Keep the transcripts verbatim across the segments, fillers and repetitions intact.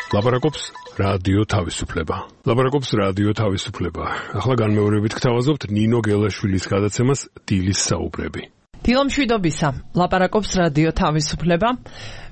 ლაპარაკობს რადიო თავისუფლება. ლაპარაკობს რადიო თავისუფლება. ახლა განმეორებით გთავაზობთ ნინო გელაშვილის გადაცემას დილის საუბრები. დილომშვიდობისა, ლაპარაკობს რადიო თავისუფლება.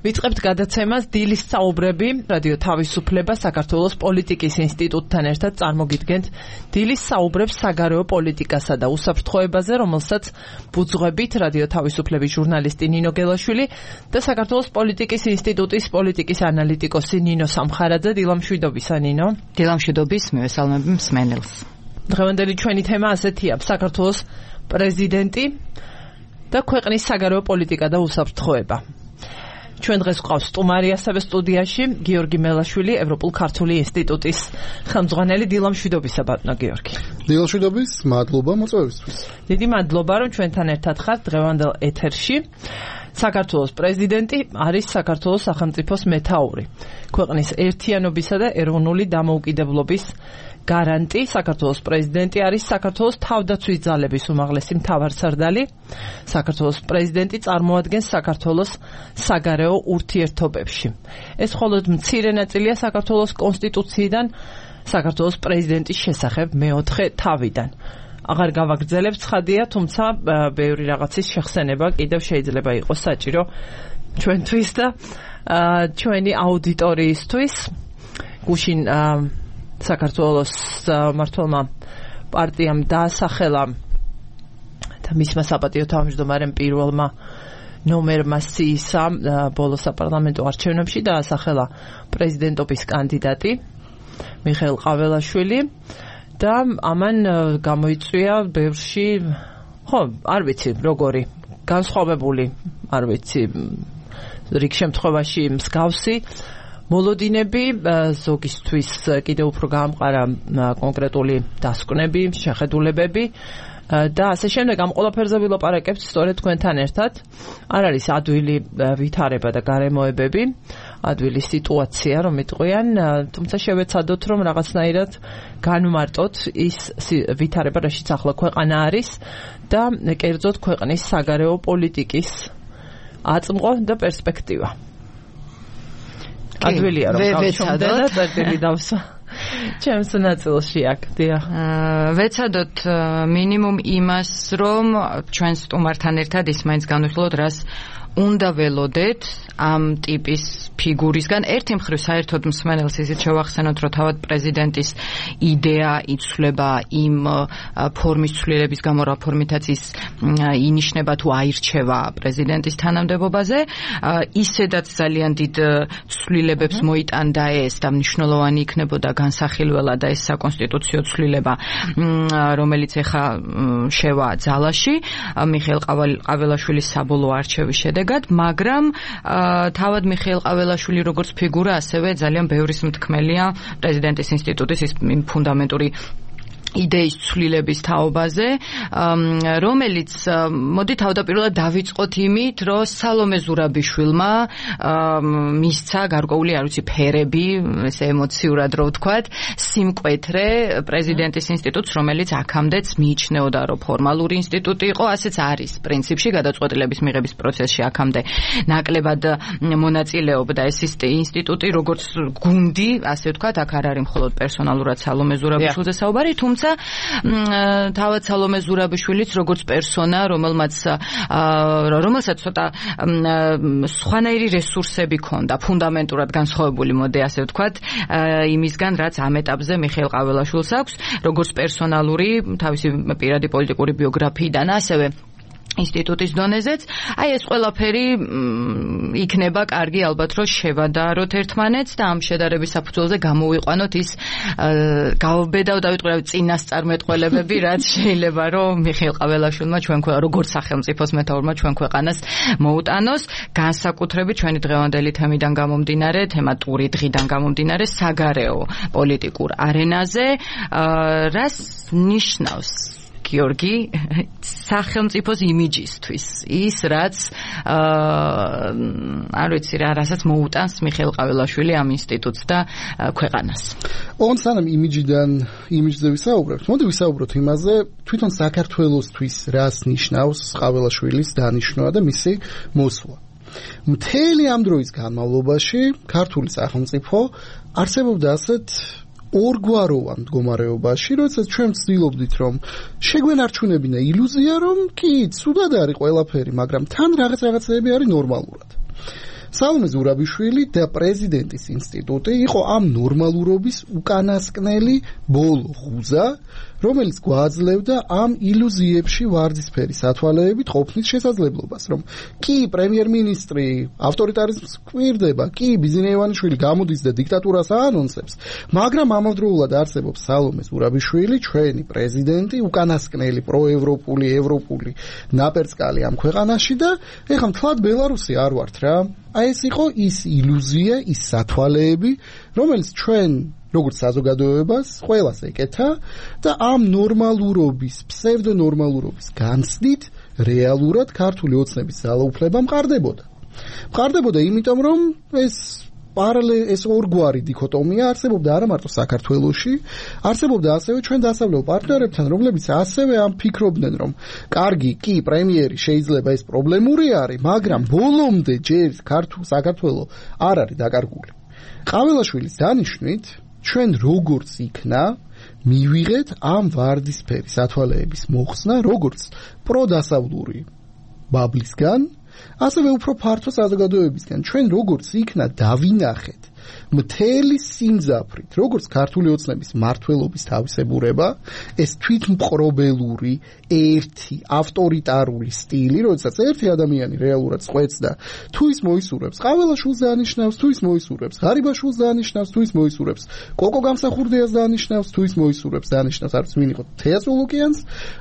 ვიწყებთ გადაცემას დილის საუბრები. რადიო თავისუფლება საქართველოს პოლიტიკის ინსტიტუტთან ერთად წარმოგიდგენთ დილის საუბრებს საგარეო პოლიტიკასა და უსაფრთხოებაზე, რომელსაც ბუძღვებით რადიო თავისუფლების ჟურნალისტი ნინო გელაშვილი და საქართველოს პოლიტიკის ინსტიტუტის პოლიტიკის ანალიტიკოსი ნინო სამხარაძე. დილომშვიდობისა, ნინო. დილომშვიდობის, მივესალმები მსმენელს. დღევანდელი ჩვენი თემა ასეთია: საქართველოს პრეზიდენტი და ქვეყნის საგარეო პოლიტიკა და უსაფრთხოება. ჩვენ დღეს გვყავს სტუმარი ასევე სტუდიაში გიორგი მელაშვილი, ევროპულ-ქართული ინსტიტუტის ხელმძღვანელი. დილომშვიდობისა, ბატონო გიორგი. დილომშვიდობის, მადლობა მოწვევისთვის. დიდი მადლობა, რომ ჩვენთან ერთად ხართ დღევანდელ ეთერში. საქართველოს პრეზიდენტი არის საქართველოს სახელმწიფოს მეთაური, ქვეყნის ერთიანობისა და ეროვნული დამოუკიდებლობის გარანტი. საქართველოს პრეზიდენტი არის საქართველოს თავდაცვის ძალების უმაღლესი მთავარსარდალი. საქართველოს პრეზიდენტი წარმოადგენს საქართველოს საგარეო ურთიერთობებში. ეს მხოლოდ მცირე ნაწილია საქართველოს კონსტიტუციიდან, საქართველოს პრეზიდენტის შესახებ მეოთხე თავიდან. აღარ გავაგრძელებ, ცხადია, თუმცა ბევრი რაღაცის შეხსენება კიდევ შეიძლება იყოს საჭირო ჩვენთვის და ჩვენი აუდიტორიისთვის. გუშინ საქართველოს მმართველმა პარტიამ დაასახელა და მისმა საპატიო თავმჯდომარემ პირველმა ნომერმა სიისა ბოლო საპარლამენტო არჩევნებში დაასახელა პრეზიდენტობის კანდიდატი მიხეილ ყაველაშვილი და ამან გამოიწვია ბევრში, ხო, არ ვიცი, როგორი განსხვავებული, არ ვიცი, რიგ შემთხვევაში მსგავსი მოლოდინები, ზოგისთვის კიდევ უფრო გაამყარა კონკრეტული დასკვნები, შეხედულებები და ასე შემდეგ. ამ ყველაფერზე ვილაპარაკებთ სწორედ თქვენთან ერთად. არ არის ადვილი ვითარება და გარემოებები, ადვილი სიტუაცია, რომ იტყვიან, თუმცა შევეცადოთ, რომ რაღაცნაირად განვმარტოთ ის ვითარება, რაშიც ახლა ქვეყანა არის და კერძოდ ქვეყნის საგარეო პოლიტიკის აწმყო და პერსპექტივა. ადვილია რომ გავჩვენდე და წერტილი დავსვა ჩემს ნაწილში აქ. დიახ. ვეცადოთ მინიმუმ იმას, რომ ჩვენ სტუმართან ერთად ის მაინც განვიხილოთ, რას უნდა ველოდეთ ამ ტიპის ფიგურისგან. ერთი მხრივ საერთოდ მსმენელს ისიც შევახსენოთ, რომ თავად პრეზიდენტის იდეა იცვლება იმ ფორმის ცვლილების გამო, რა ფორმითაც ის ინიშნება თუ აირჩევა პრეზიდენტის თანამდებობაზე. ისედაც ძალიან დიდ ცვლილებებს მოიტანდა ეს და მნიშვნელოვანი იქნებოდა განსახილველად ეს საკონსტიტუციო ცვლილება, რომელიც ეხა შევა ძალაში მიხეილ ყაველაშვილის საბოლოო არჩევის შედეგად. მაგრამ თავად მიხეილ ყაველაშვილი როგორც ფიგურა, ასევე ძალიან ბევრის მთქმელია პრეზიდენტის ინსტიტუტის ის ფუნდამენტური იდეის ცვლილების თაობაზე, რომელიც მოდი თავდაპირველად დავიწყოთ იმით, რომ სალომე ზურაბიშვილმა მისცა გარკვეული, არ ვიცი, ფერები, ესე ემოციურად რო ვთქვათ, სიმკვეთრე პრეზიდენტის ინსტიტუტს, რომელიც აქამდეც მიიჩნეოდა, რომ ფორმალური ინსტიტუტი იყო, ასეც არის პრინციპში გადაწყვეტილების მიღების პროცესში აქამდე ნაკლებად მონაწილეობდა ეს ინსტიტუტი, როგორც გუნდი, ასე ვთქვათ, აქ არ არის მხოლოდ პერსონალურად სალომე ზურაბიშვილზე საუბარი, თუმცა თავად სალომე ზურაბიშვილიც როგორც პერსონა, რომელმაც რომელსაც ცოტა სხვანაირი რესურსები ჰქონდა, ფუნდამენტურად განსხვავებული, მოდი ასე ვთქვათ, იმისგან, რაც ამ ეტაპზე მიხეილ ყაველაშვილს აქვს, როგორც პერსონალური, თავისი პირადი პოლიტიკური ბიოგრაფიიდან, ასევე ინსტიტუტის დონეზეც. აი ეს ყველაფერი იქნება კარგი ალბათ, რომ შევადაროთ ერთმანეთს და ამ შედარების საფუძველზე გამოვიყვანოთ ის გავბედავ დავიტყვი წინასწარმეტყველებები, რაც შეიძლება რომ მიხეილ ყაველაშვილმა ჩვენ როგორც სახელმწიფოს მეთაურმა ჩვენ ქვეყანას მოუტანოს, განსაკუთრებით ჩვენი დღევანდელი თემიდან გამომდინარე, თემატური დღიდან გამომდინარე საგარეო პოლიტიკურ არენაზე, რას ნიშნავს გიორგი სახელმწიფოს იმიჯისთვის ის რაც არ ვიცი რა რასაც მოუტანს მიხეილ ყაველაშვილი ამ ინსტიტუტს და ქვეყანას. ოღონდ სანამ იმიჯიდან იმიჯზე ვისაუბრებთ, მოდი ვისაუბროთ იმაზე, თვითონ საქართველოსთვის რას ნიშნავს ყაველაშვილის დანიშვნა და მისი მოსვლა. მთელი ამ დროის განმავლობაში ქართული სახელმწიფო არსებობდა ასეთ ორგვაროვან მდგომარეობაში, როდესაც ჩვენ ვცდილობდით, რომ შეგვენარჩუნებინა ილუზია, რომ კი, ცუდად არის ყველაფერი, მაგრამ თან რაღაც რაღაცები არის ნორმალურად. სალომე ზურაბიშვილი და პრეზიდენტის ინსტიტუტი იყო ამ ნორმალურობის უკანასკნელი ბოლო ღუზა, რომელიც გვაძლევდა ამ ილუზიებში ვარდისფერი სათვალეებით ყოფნის შესაძლებლობას, რომ კი პრემიერ-მინისტრი ავტორიტარიზმს კვირდება, კი ბიზნე ივანიშვილი გამოდის და დიქტატურას აანონსებს, მაგრამ ამავდროულად არსებობს სალომე ზურაბიშვილი, ჩვენი პრეზიდენტი, უკანასკნელი პროევროპული, ევროპული ნაპერწკალი ამ ქვეყანაში და ეხლა მთლად ბელარუსი არ ვართ რა. აი ეს იყო ის ილუზია, ის სათვალეები, რომელიც ჩვენ როგორც საზოგადოებას ყველას ეკეთა და ამ ნორმალურობის, ფსევდონორმალურობის განცდით რეალურად ქართული ოცნების ძალაუფლება მყარდებოდა. მყარდებოდა იმიტომ, რომ ეს პარალელ ეს ორგვარი დიქოტომია არსებობდა არა მარტო საქართველოში, არსებობდა ასევე ჩვენ დასავლელ პარტნიორებთან, რომლებიც ასევე ამ ფიქრობდნენ, რომ კარგი, კი, პრემიერი შეიძლება ეს პრობლემური არის, მაგრამ ბოლომდე ჯერ ქართულ საქართველოს არ არის დაკარგული. ყაველაშვილის დანიშვნით ჩვენ როგორც იქნა მივიღეთ ამ ვარდისფერი სათვალეების მოხსნა როგორც პროდასავლური ბაბლისგან, ასევე უფრო ფართო საზოგადოებისგან. ჩვენ როგორც იქნა დავინახეთ მთელი სიმძაფრით, როგორც ქართული ოცნების მმართველობის თავისებურება, ეს თვითმპყრობელური, ერთი ავტორიტარული სტილი, როდესაც ერთი ადამიანი რეალურად წყვეტს და თუ ის მოისურვებს ყაველაშვილს დაანიშნავს, თუ ის მოისურვებს ღარიბაშვილს დაანიშნავს, თუ ის მოისურვებს კოკო გამსახურდიას დაანიშნავს, თუ ის მოისურვებს დაანიშნავს არც ვინ იყო თეა წულუკიანს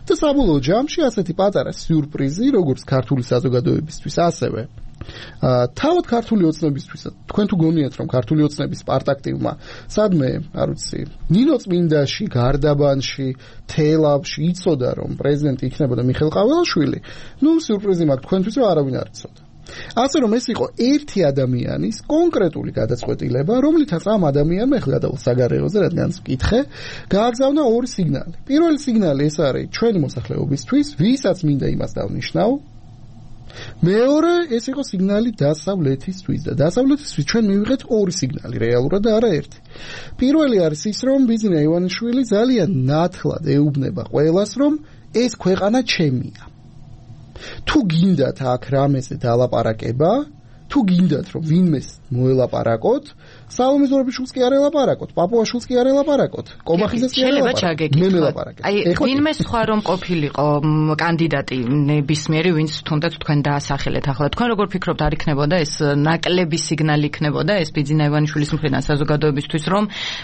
და საბოლოო ჯამში ასეთი პატარა სიურპრიზი, როგორც ქართული საზოგადოებისთვის, ასევე თავად ქართული ოცნებისთვის, თქვენ თუ გონიათ, რომ ქართული ოცნების სპარტაქტივმა სადმე, არ ვიცი, ნინო წმინდაში, გარდაბანში, თელავში იცოდა, რომ პრეზიდენტი იქნებოდა მიხეილ ყაველაშვილი, ნუ სიურპრიზი მაქვს თქვენთვის, რომ არავინ არ იცოდა. ასე რომ ეს იყო ერთი ადამიანის კონკრეტული გადაწყვეტილება, რომლითაც ამ ადამიანმა, ახლა გადავალ საგარეოზე, რადგან ვკითხე, გააგზავნა ორი სიგნალი. პირველი სიგნალი ეს არის ჩვენი მოსახლეობისთვის, ვისაც მინდა იმას დავნიშნავ. მეორე ეს იყო სიგნალი დასავლეთისთვის და დასავლეთისთვის ჩვენ მივიღეთ ორი სიგნალი რეალურად და არა ერთი. პირველი არის ის, რომ ბიზნე ივანიშვილი ძალიან ნათლად ეუბნება ყველას, რომ ეს ქვეყანა ჩემია. თუ გინდათ აქ რამეზე დალაპარაკება, თუ გინდათ რომ ვინმეს მოელაპარაკოთ, სალომე ზურაბიშვილს კი არ ელაპარაკოთ, პაპუაშვილს კი არ ელაპარაკოთ, კობახიძეს კი არ ელაპარაკოთ. მე მელაპარაკებ. აი, ვინმე სხვა რომ ყოფილიყო კანდიდატი ნებისმიერი, ვინც თუნდაც თქვენ დაასახელეთ, ახლა თქვენ როგორ ფიქრობთ, არ იქნებოდა ეს ნაკლები სიგნალი იქნებოდა ეს ბიზნე ივანიშვილის მხრიდან საზოგადოებისთვის, რომ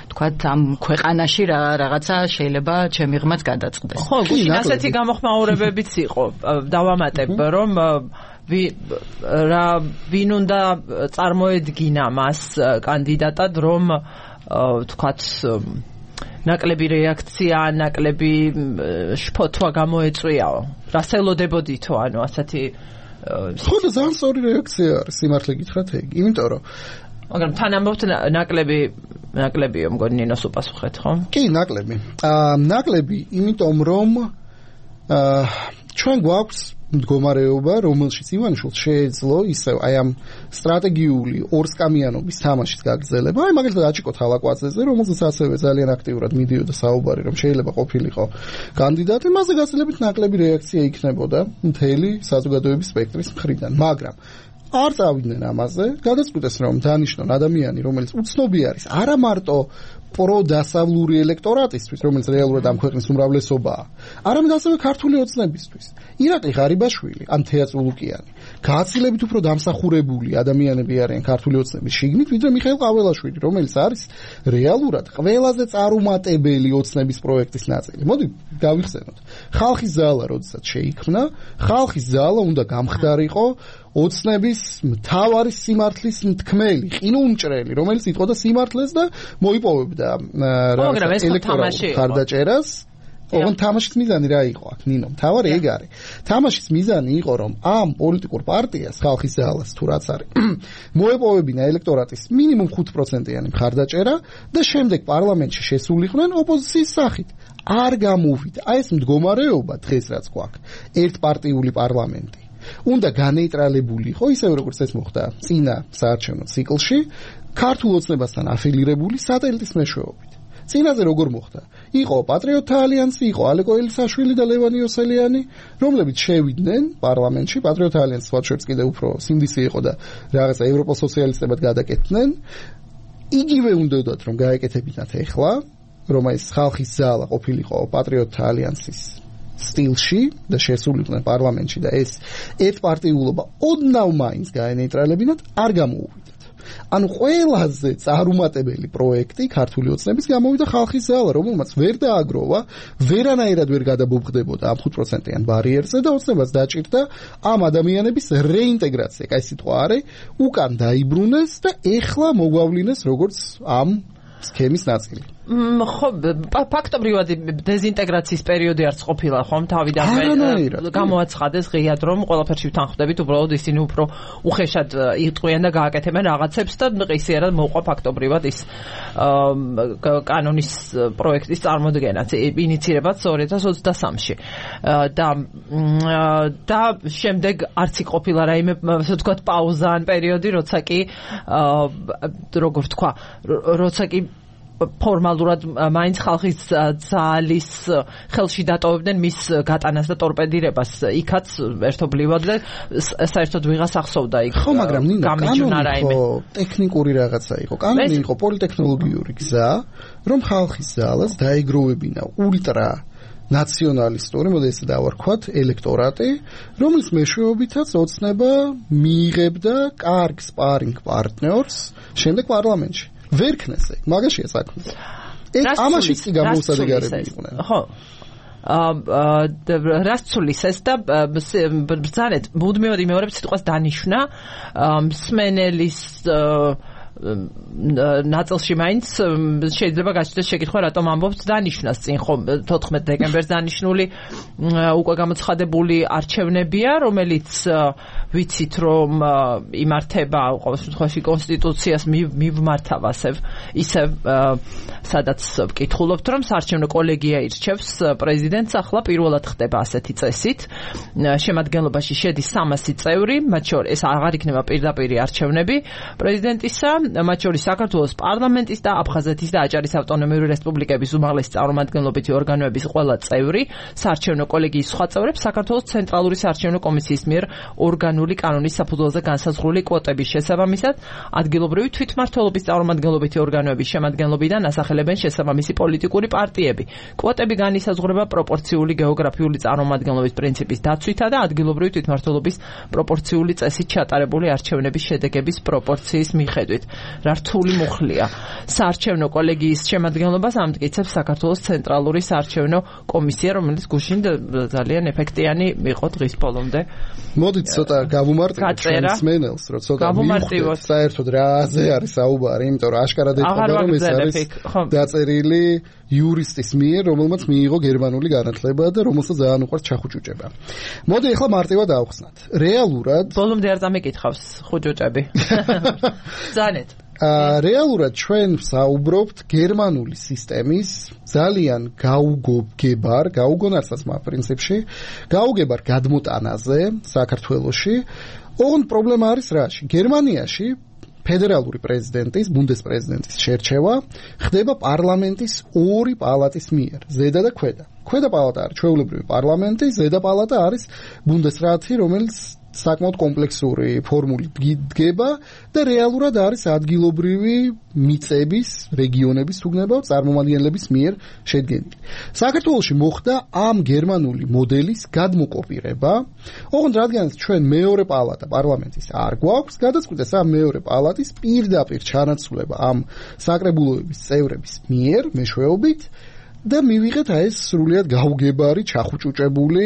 თქვათ ამ ქვეყანაში რაღაცა შეიძლება ჩემი ღმაც გადაწყდეს. ხო, გუშინ ასეთი გამოხმაურებებიც იყო. დავამატებ, რომ რა ვინ უნდა წარმოედგინა მას კანდიდატად, რომ თქვათ ნაკლები რეაქცია, ნაკლები შფოთვა გამოეწვიაო. რას ელოდებოდითო, ანუ ასეთი ხო და ძალიან სწორი რეაქცია არის, სიმართლე გითხრათ ეგ, იმიტომ რომ მაგრამ თან ამბობთ ნაკლები ნაკლებიო, მგონი ნინოს უპასუხეთ, ხო? კი, ნაკლები. აა ნაკლები, იმიტომ რომ აა ჩვენ გვაქვს მდგომარეობა, რომელშიც ივანიშვილს შეეძლო ისევ აი ამ სტრატეგიული ორსკამიანობის თამაშის გაგრძელება. აი მაგალითად აჭიკო თალაკვაძეზე, რომელზეც ასევე ძალიან აქტიურად მიდიოდა საუბარი, რომ შეიძლება ყოფილიყო კანდიდატი, მასზე გაცილებით ნაკლები რეაქცია იქნებოდა მთელი საზოგადოების სპექტრის მხრიდან, მაგრამ არ წავიდნენ ამაზე, გადაწყვიტეს რომ დანიშნონ ადამიანი, რომელიც უცნობი არის, არა მარტო პროდასავლური ელექტორატისთვის, რომელიც რეალურად ამ ქვეყნის უმრავლესობაა, არამედ ასევე ქართული ოცნებისთვის. ირაკლი ღარიბაშვილი, ან თეა წულუკიანი, გაცილებით უფრო დამსახურებული ადამიანები არიან ქართული ოცნების შიგნით, ვიდრე მიხეილ ყაველაშვილი, რომელიც არის რეალურად ყველაზე წარუმატებელი ოცნების პროექტის ნაწილი. მოდი გავიხსენოთ. ხალხის ზალა, როდესაც შეიქმნა, ხალხის ზალა უნდა გამხდარიყო ოცნების მთავარი სიმართლის თქმელი, ყინულმჭრელი, რომელიც იტყოდა სიმართლეს და მოიპოვებდა ელექტორალურ ხარდაჭერას. ოღონდ თამაშის მიზანი რა იყო აქ, ნინო? მთავარი ეგ არის. თამაშის მიზანი იყო, რომ ამ პოლიტიკურ პარტიას, ხალხის ზალას თუ რაც არის, მოეპოვებინა ელექტორატის მინიმუმ ხუთ პროცენტიანი მხარდაჭერა და შემდეგ პარლამენტში შესულიყვნენ ოპოზიციის სახით. არ გამოვიდა. აი ეს მდგომარეობა დღეს რაც გვაქვს, ერთპარტიული პარლამენტი. უნდა განეიტრალებული იყო ისევე როგორც ეს მოხდა წინა საარჩევნო ციკლში ქართულ ოცნებასთან αφილირებული სატელიტის მეშვეობით. წინაზე როგორ მოხდა? იყო პატრიოტთა ალიანსი, იყო ალეკო ელისაშვილი და ლევან იოსელიანი, რომლებიც შევიდნენ პარლამენტში, პატრიოტთა ალიანსი სხვადასხვა კიდევ უფრო სინდისი იყო და რაღაცა ევროპელ სოციალისტებად გადაკეთდნენ. იგივე უნდათ რომ გაეკეთებინათ ახლა, რომ ეს ხალხის ზალა ყოფილიყო პატრიოტთა ალიანსის სტილში და შესულიყვნენ პარლამენტში და ეს ერთპარტიულობა ოდნავ მაინც გაენეიტრალებინათ, არ გამოუვიდათ. ანუ ყველაზე წარუმატებელი პროექტი ქართული ოცნების გამოვიდა ხალხის ზალა, რომელმაც ვერ დააგროვა, ვერანაირად ვერ გადაბობხდებოდა ამ ხუთ პროცენტიან ბარიერზე და ოცნებას დაჭირდა ამ ადამიანების რეინტეგრაცია, კაი სიტყვა არის, უკან დაიბრუნეს და ეხლა მოგვავლინეს როგორც ამ სქემის ნაწილი. ხო, ფაქტობრივად დეზინტეგრაციის პერიოდი არც ყოფილა ხომ თავიდანვე გამოაცხადეს ღიად რომ ყველაფერში ვთანხმდებით, უბრალოდ ისინი უფრო უხეშად იტყვიან და გააკეთებენ რაღაცებს და ყისიერად მოყვა ფაქტობრივად ის კანონის პროექტის წარმოდგენაც, ინიცირებაც ორი ათას ოცდასამში და და შემდეგ არც ყოფილა რაიმე ასე ვთქვათ პაუზა ან პერიოდი, როცა კი როგორ თქვა, როცა კი ფორმალურად მაინც ხალხის ძალის ხელში დატოვებდნენ მის გატანას და ტორპედირებას იქაც ერთობლივად და საერთოდ ვიღას ახსოვდა იქ. ხო, მაგრამ ნინო, კანონი იყო ტექნიკური რაღაცა იყო. კანონი იყო პოლიტექნოლოგიური გზა, რომ ხალხის ძალას დაეგროვებინა ულტრა ნაციონალისტური, მოდი ესე დავარქვათ, ელექტორატი, რომლის მეშვეობითაც ოცნება მიიღებდა კარგ სპარინგ პარტნიორს შემდეგ პარლამენტში. ვერ ქნეს ეგ, მაგაშია საქმე. ეს ამაში კი გამოუსადეგარებელი იყვნენ. ხო. აა რას ცulis ეს და ბრძანეთ, მუდმივად იმეორებს სიტყვას დანიშნა, მსმენელის ნაწილში მაინც შეიძლება გაჩნდეს შეკითხვა, რატომ ამბობთ დანიშნას წინ ხო თოთხმეტ დეკემბერს დანიშნული უკვე გამოცხადებული არჩევნებია, რომელიც ვიცით რომ იმართება ყოველ შემთხვევაში კონსტიტუციას მივმართავ ასევ ისევ სადაც ვკითხულობთ რომ საარჩევნო კოლეგია ირჩევს პრეზიდენტს, ახლა პირველად ხდება ასეთი წესით. შემადგენლობაში შედის სამასი წევრი, მათ შორის ეს აღარ იქნება პირდაპირი არჩევნები პრეზიდენტისა, მათ შორის საქართველოს პარლამენტის და აფხაზეთის და აჭარის ავტონომიური რესპუბლიკების უმაღლესი წარმომადგენლობითი ორგანოების ყველა წევრი, საარჩევნო კოლეგიის სხვა წევრებს საქართველოს ცენტრალური საარჩევნო კომისიის მიერ ორგანული კანონის საფუძველზე განსაზღვრული კვოტების შესაბამისად, ადგილობრივი თვითმმართველობის წარმომადგენლობითი ორგანოების შემადგენლობიდან ასახელებენ შესაბამისი პოლიტიკური პარტიები. კვოტები განისაზღვრება პროპორციული გეოგრაფიული წარმომადგენლობის პრინციპის დაცვითა და ადგილობრივი თვითმმართველობის პროპორციული წესით ჩატარებული არჩევნების შედეგების პროპორციის მიხედვით. რა რთული მუხლია. საარჩევნო კოლეგიის შემადგენლობას ამტკიცებს საქართველოს ცენტრალური საარჩევნო კომისია, რომელიც გუშინ ძალიან ეფექტიანი იყო დღის ბოლომდე. მოდით ცოტა გავუმარტივოთ ჩვენს მენელს, რომ ცოტა მივხვდეთ საერთოდ რაზე არის საუბარი, იმიტომ რომ აშკარად ეთქვა რომ ეს არის დაწერილი იურისტის მიერ, რომელმაც მიიღო გერმანული განათლება და რომელსაც ძალიან უყვარს ჩახუჭუჭება. მოდი ახლა მარტივად ავხსნათ. რეალურად ბოლომდე არ დამეკითხავს ხუჭუჭები. ზანეთ. რეალურად ჩვენ საუბრობთ გერმანული სისტემის ძალიან გაუგებარ, გაუგონარსაცმა პრინციპში, გაუგებარ გადმოტანაზე საქართველოში. ოღონდ პრობლემა არის რაში? გერმანიაში ფედერალური პრეზიდენტის, ბუნდესპრეზიდენტის შერჩევა ხდება პარლამენტის ორი პალატის მიერ, ზედა და ქვედა. ქვედა პალატა არის ჩვეულებრივი პარლამენტი, ზედა პალატა არის ბუნდესრატი, რომელიც საკმაოდ კომპლექსური ფორმულით დგება და რეალურად არის ადგილობრივი მიწების, რეგიონების თუგნებავ წარმომადგენლების მიერ შედგენილი. საქართველოში მოხდა ამ გერმანული მოდელის გადმოკოპირება, ოღონდ რადგანაც ჩვენ მეორე პალატა პარლამენტის არ გვაქვს, გადაწყვიტეს ამ მეორე პალატის პირდაპირ ჩანაცვლება ამ საკრებულოების წევრების მიერ მეშვეობით და მივიღეთ ეს სრულიად გაუგებარი, ჩახუჭუჭებული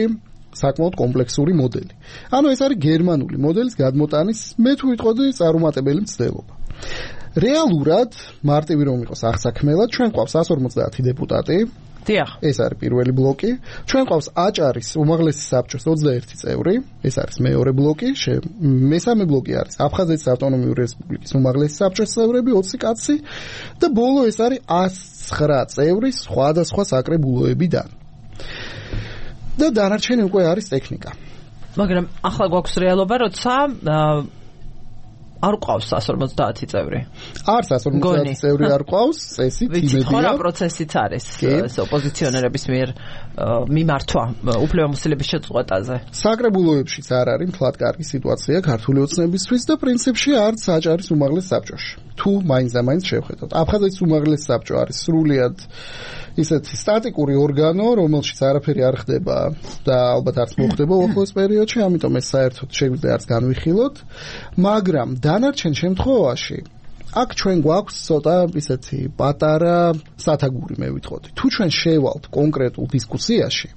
საკმაოდ კომპლექსური მოდელი. ანუ ეს არის გერმანული მოდელის გადმოტანის, მე თუ ვიტყოდი, წარუმატებელი მცდელობა. რეალურად, მარტივი რომ იყოს აღსაქმელად, ჩვენ გვყავს εκατს ორმოცდაათი დეპუტატი. დიახ. ეს არის პირველი ბლოკი. ჩვენ გვყავს აჭარის უმაღლესი საბჭოს ოცდაერთი წევრი, ეს არის მეორე ბლოკი. მესამე ბლოკი არის აფხაზეთის ავტონომიური რესპუბლიკის უმაღლესი საბჭოს წევრები, ოცი კაცი და ბოლო ეს არის ათს ცხრა წევრი სხვადასხვა საკრებულოებიდან. და დანარჩენი უკვე არის ტექნიკა. მაგრამ ახლა გვაქვს რეალობა, როცა არ ყავს one forty წევრი. არც one forty წევრი არ ყავს, წესით იმედია. ვიცი, რა პროცესიც არის ეს ოპოზიციონერების მიერ მიმართვა უფლებამოსილების შეწყვეტაზე. საკრებულოებშიც არ არის მთლად კარგი სიტუაცია ქართული ოცნებისთვის და პრინციპში არც აჭარის უმაღლეს საბჭოში. თუ მაინც და მაინც შევხედოთ. აფხაზეთის უმაღლეს საბჭო არის სრულიად ისეთი სტატიკური ორგანო, რომელშიც არაფერი არ ხდება და ალბათ არც მოხდება უახლოეს პერიოდში, ამიტომ ეს საერთოდ შეგვიძლია არც განვიხილოთ, მაგრამ დანარჩენ შემთხვევაში აქ ჩვენ გვაქვს ცოტა ისეთი პატარა სათაგური მე ვიტყოდი. თუ ჩვენ შევალთ კონკრეტულ დისკუსიაში,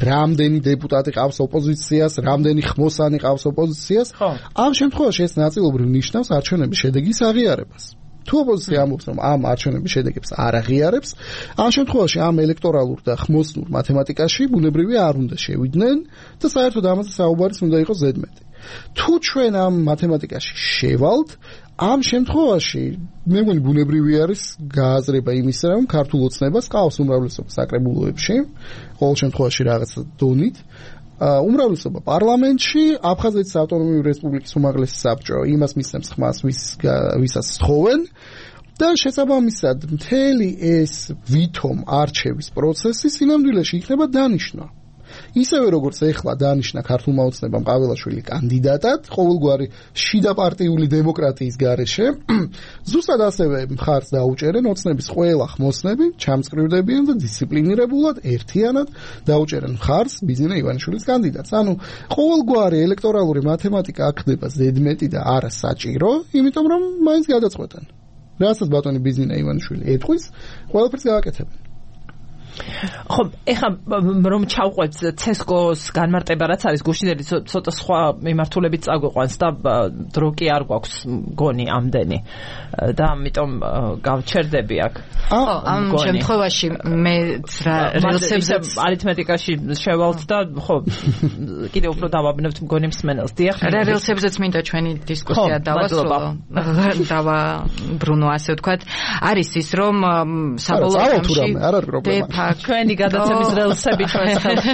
რამდენი დეპუტატი ყავს ოპოზიციას, რამდენი ხმოსანი ყავს ოპოზიციას, ამ შემთხვევაში ეს ნაწილობრივ ნიშნავს არჩევნების შედეგის აღიარებას. თუ ოპოზიცია ამბობს, რომ ამ არჩევნების შედეგებს არ აღიარებს, ამ შემთხვევაში ამ ელექტორალურ და ხმოსნურ მათემატიკაში ბუნებრივია არ უნდა შევიდნენ და საერთოდ ამაზე საუბარის უნდა იყოს ზედმეტი. თუ ჩვენ ამ მათემატიკაში შევალთ, ამ შემთხვევაში მე მგონი ბუნებრივი არის გააზრება იმისა, რომ ქართულ ოცნებას ყავს უმრავლესობა საკრებულოებში, ყოველ შემთხვევაში რაღაც დონით, უმრავლესობა პარლამენტში, აფხაზეთის ავტონომიური რესპუბლიკის უმაღლესი საბჭო იმას მისცემს ხმას, ვის ვისაც სთხოვენ და შესაბამისად მთელი ეს ვითომ არჩევის პროცესი სინამდვილეში იქნება დანიშნა. ისევე როგორც ეხლა დანიშნა ქართულმა ოცნებამ ყაველაშვილი კანდიდატად ყოველგვარი შიდა პარტიული დემოკრატიის გარეშე, ზუსტად ასევე მხარს დაუჭერენ ოცნების ყველა ხმოსნები, ჩამწკრივდებიან და დისციპლინირებულად ერთიანად დაუჭერენ მხარს ბიზნე ივანიშვილის კანდიდატს. ანუ ყოველგვარი ელექტორალური მათემატიკა აქ ხდება ზედმეტი და არა საჭირო, იმიტომ რომ მაინც გადაწყვეტენ. რასაც ბატონი ბიზნე ივანიშვილი ეთქვის, ყველაფერს გააკეთებენ. ხო, ეხლა რომ ჩავყვეთ ცესკოს განმარტება რაც არის გუშინდელი ცოტა სხვა მიმართულებით წაგვიყვანს და დრო კი არ გვაქვს გონი ამდენი და ამიტომ გავჩერდები აქ. ხო, ამ შემთხვევაში მე რელსებზე არითმეტიკაში შევალთ და ხო კიდევ უფრო დავაბნევთ მგონი მსმენელს. დიახ, რა რელსებზეც მინდა ჩვენი დისკუსია დავასრულო. დავა ბრუნო ასე ვთქვათ. არის ის რომ საბოლოო ჯამში ჩვენი გადაცემის რელსები ჩვენს ხელში.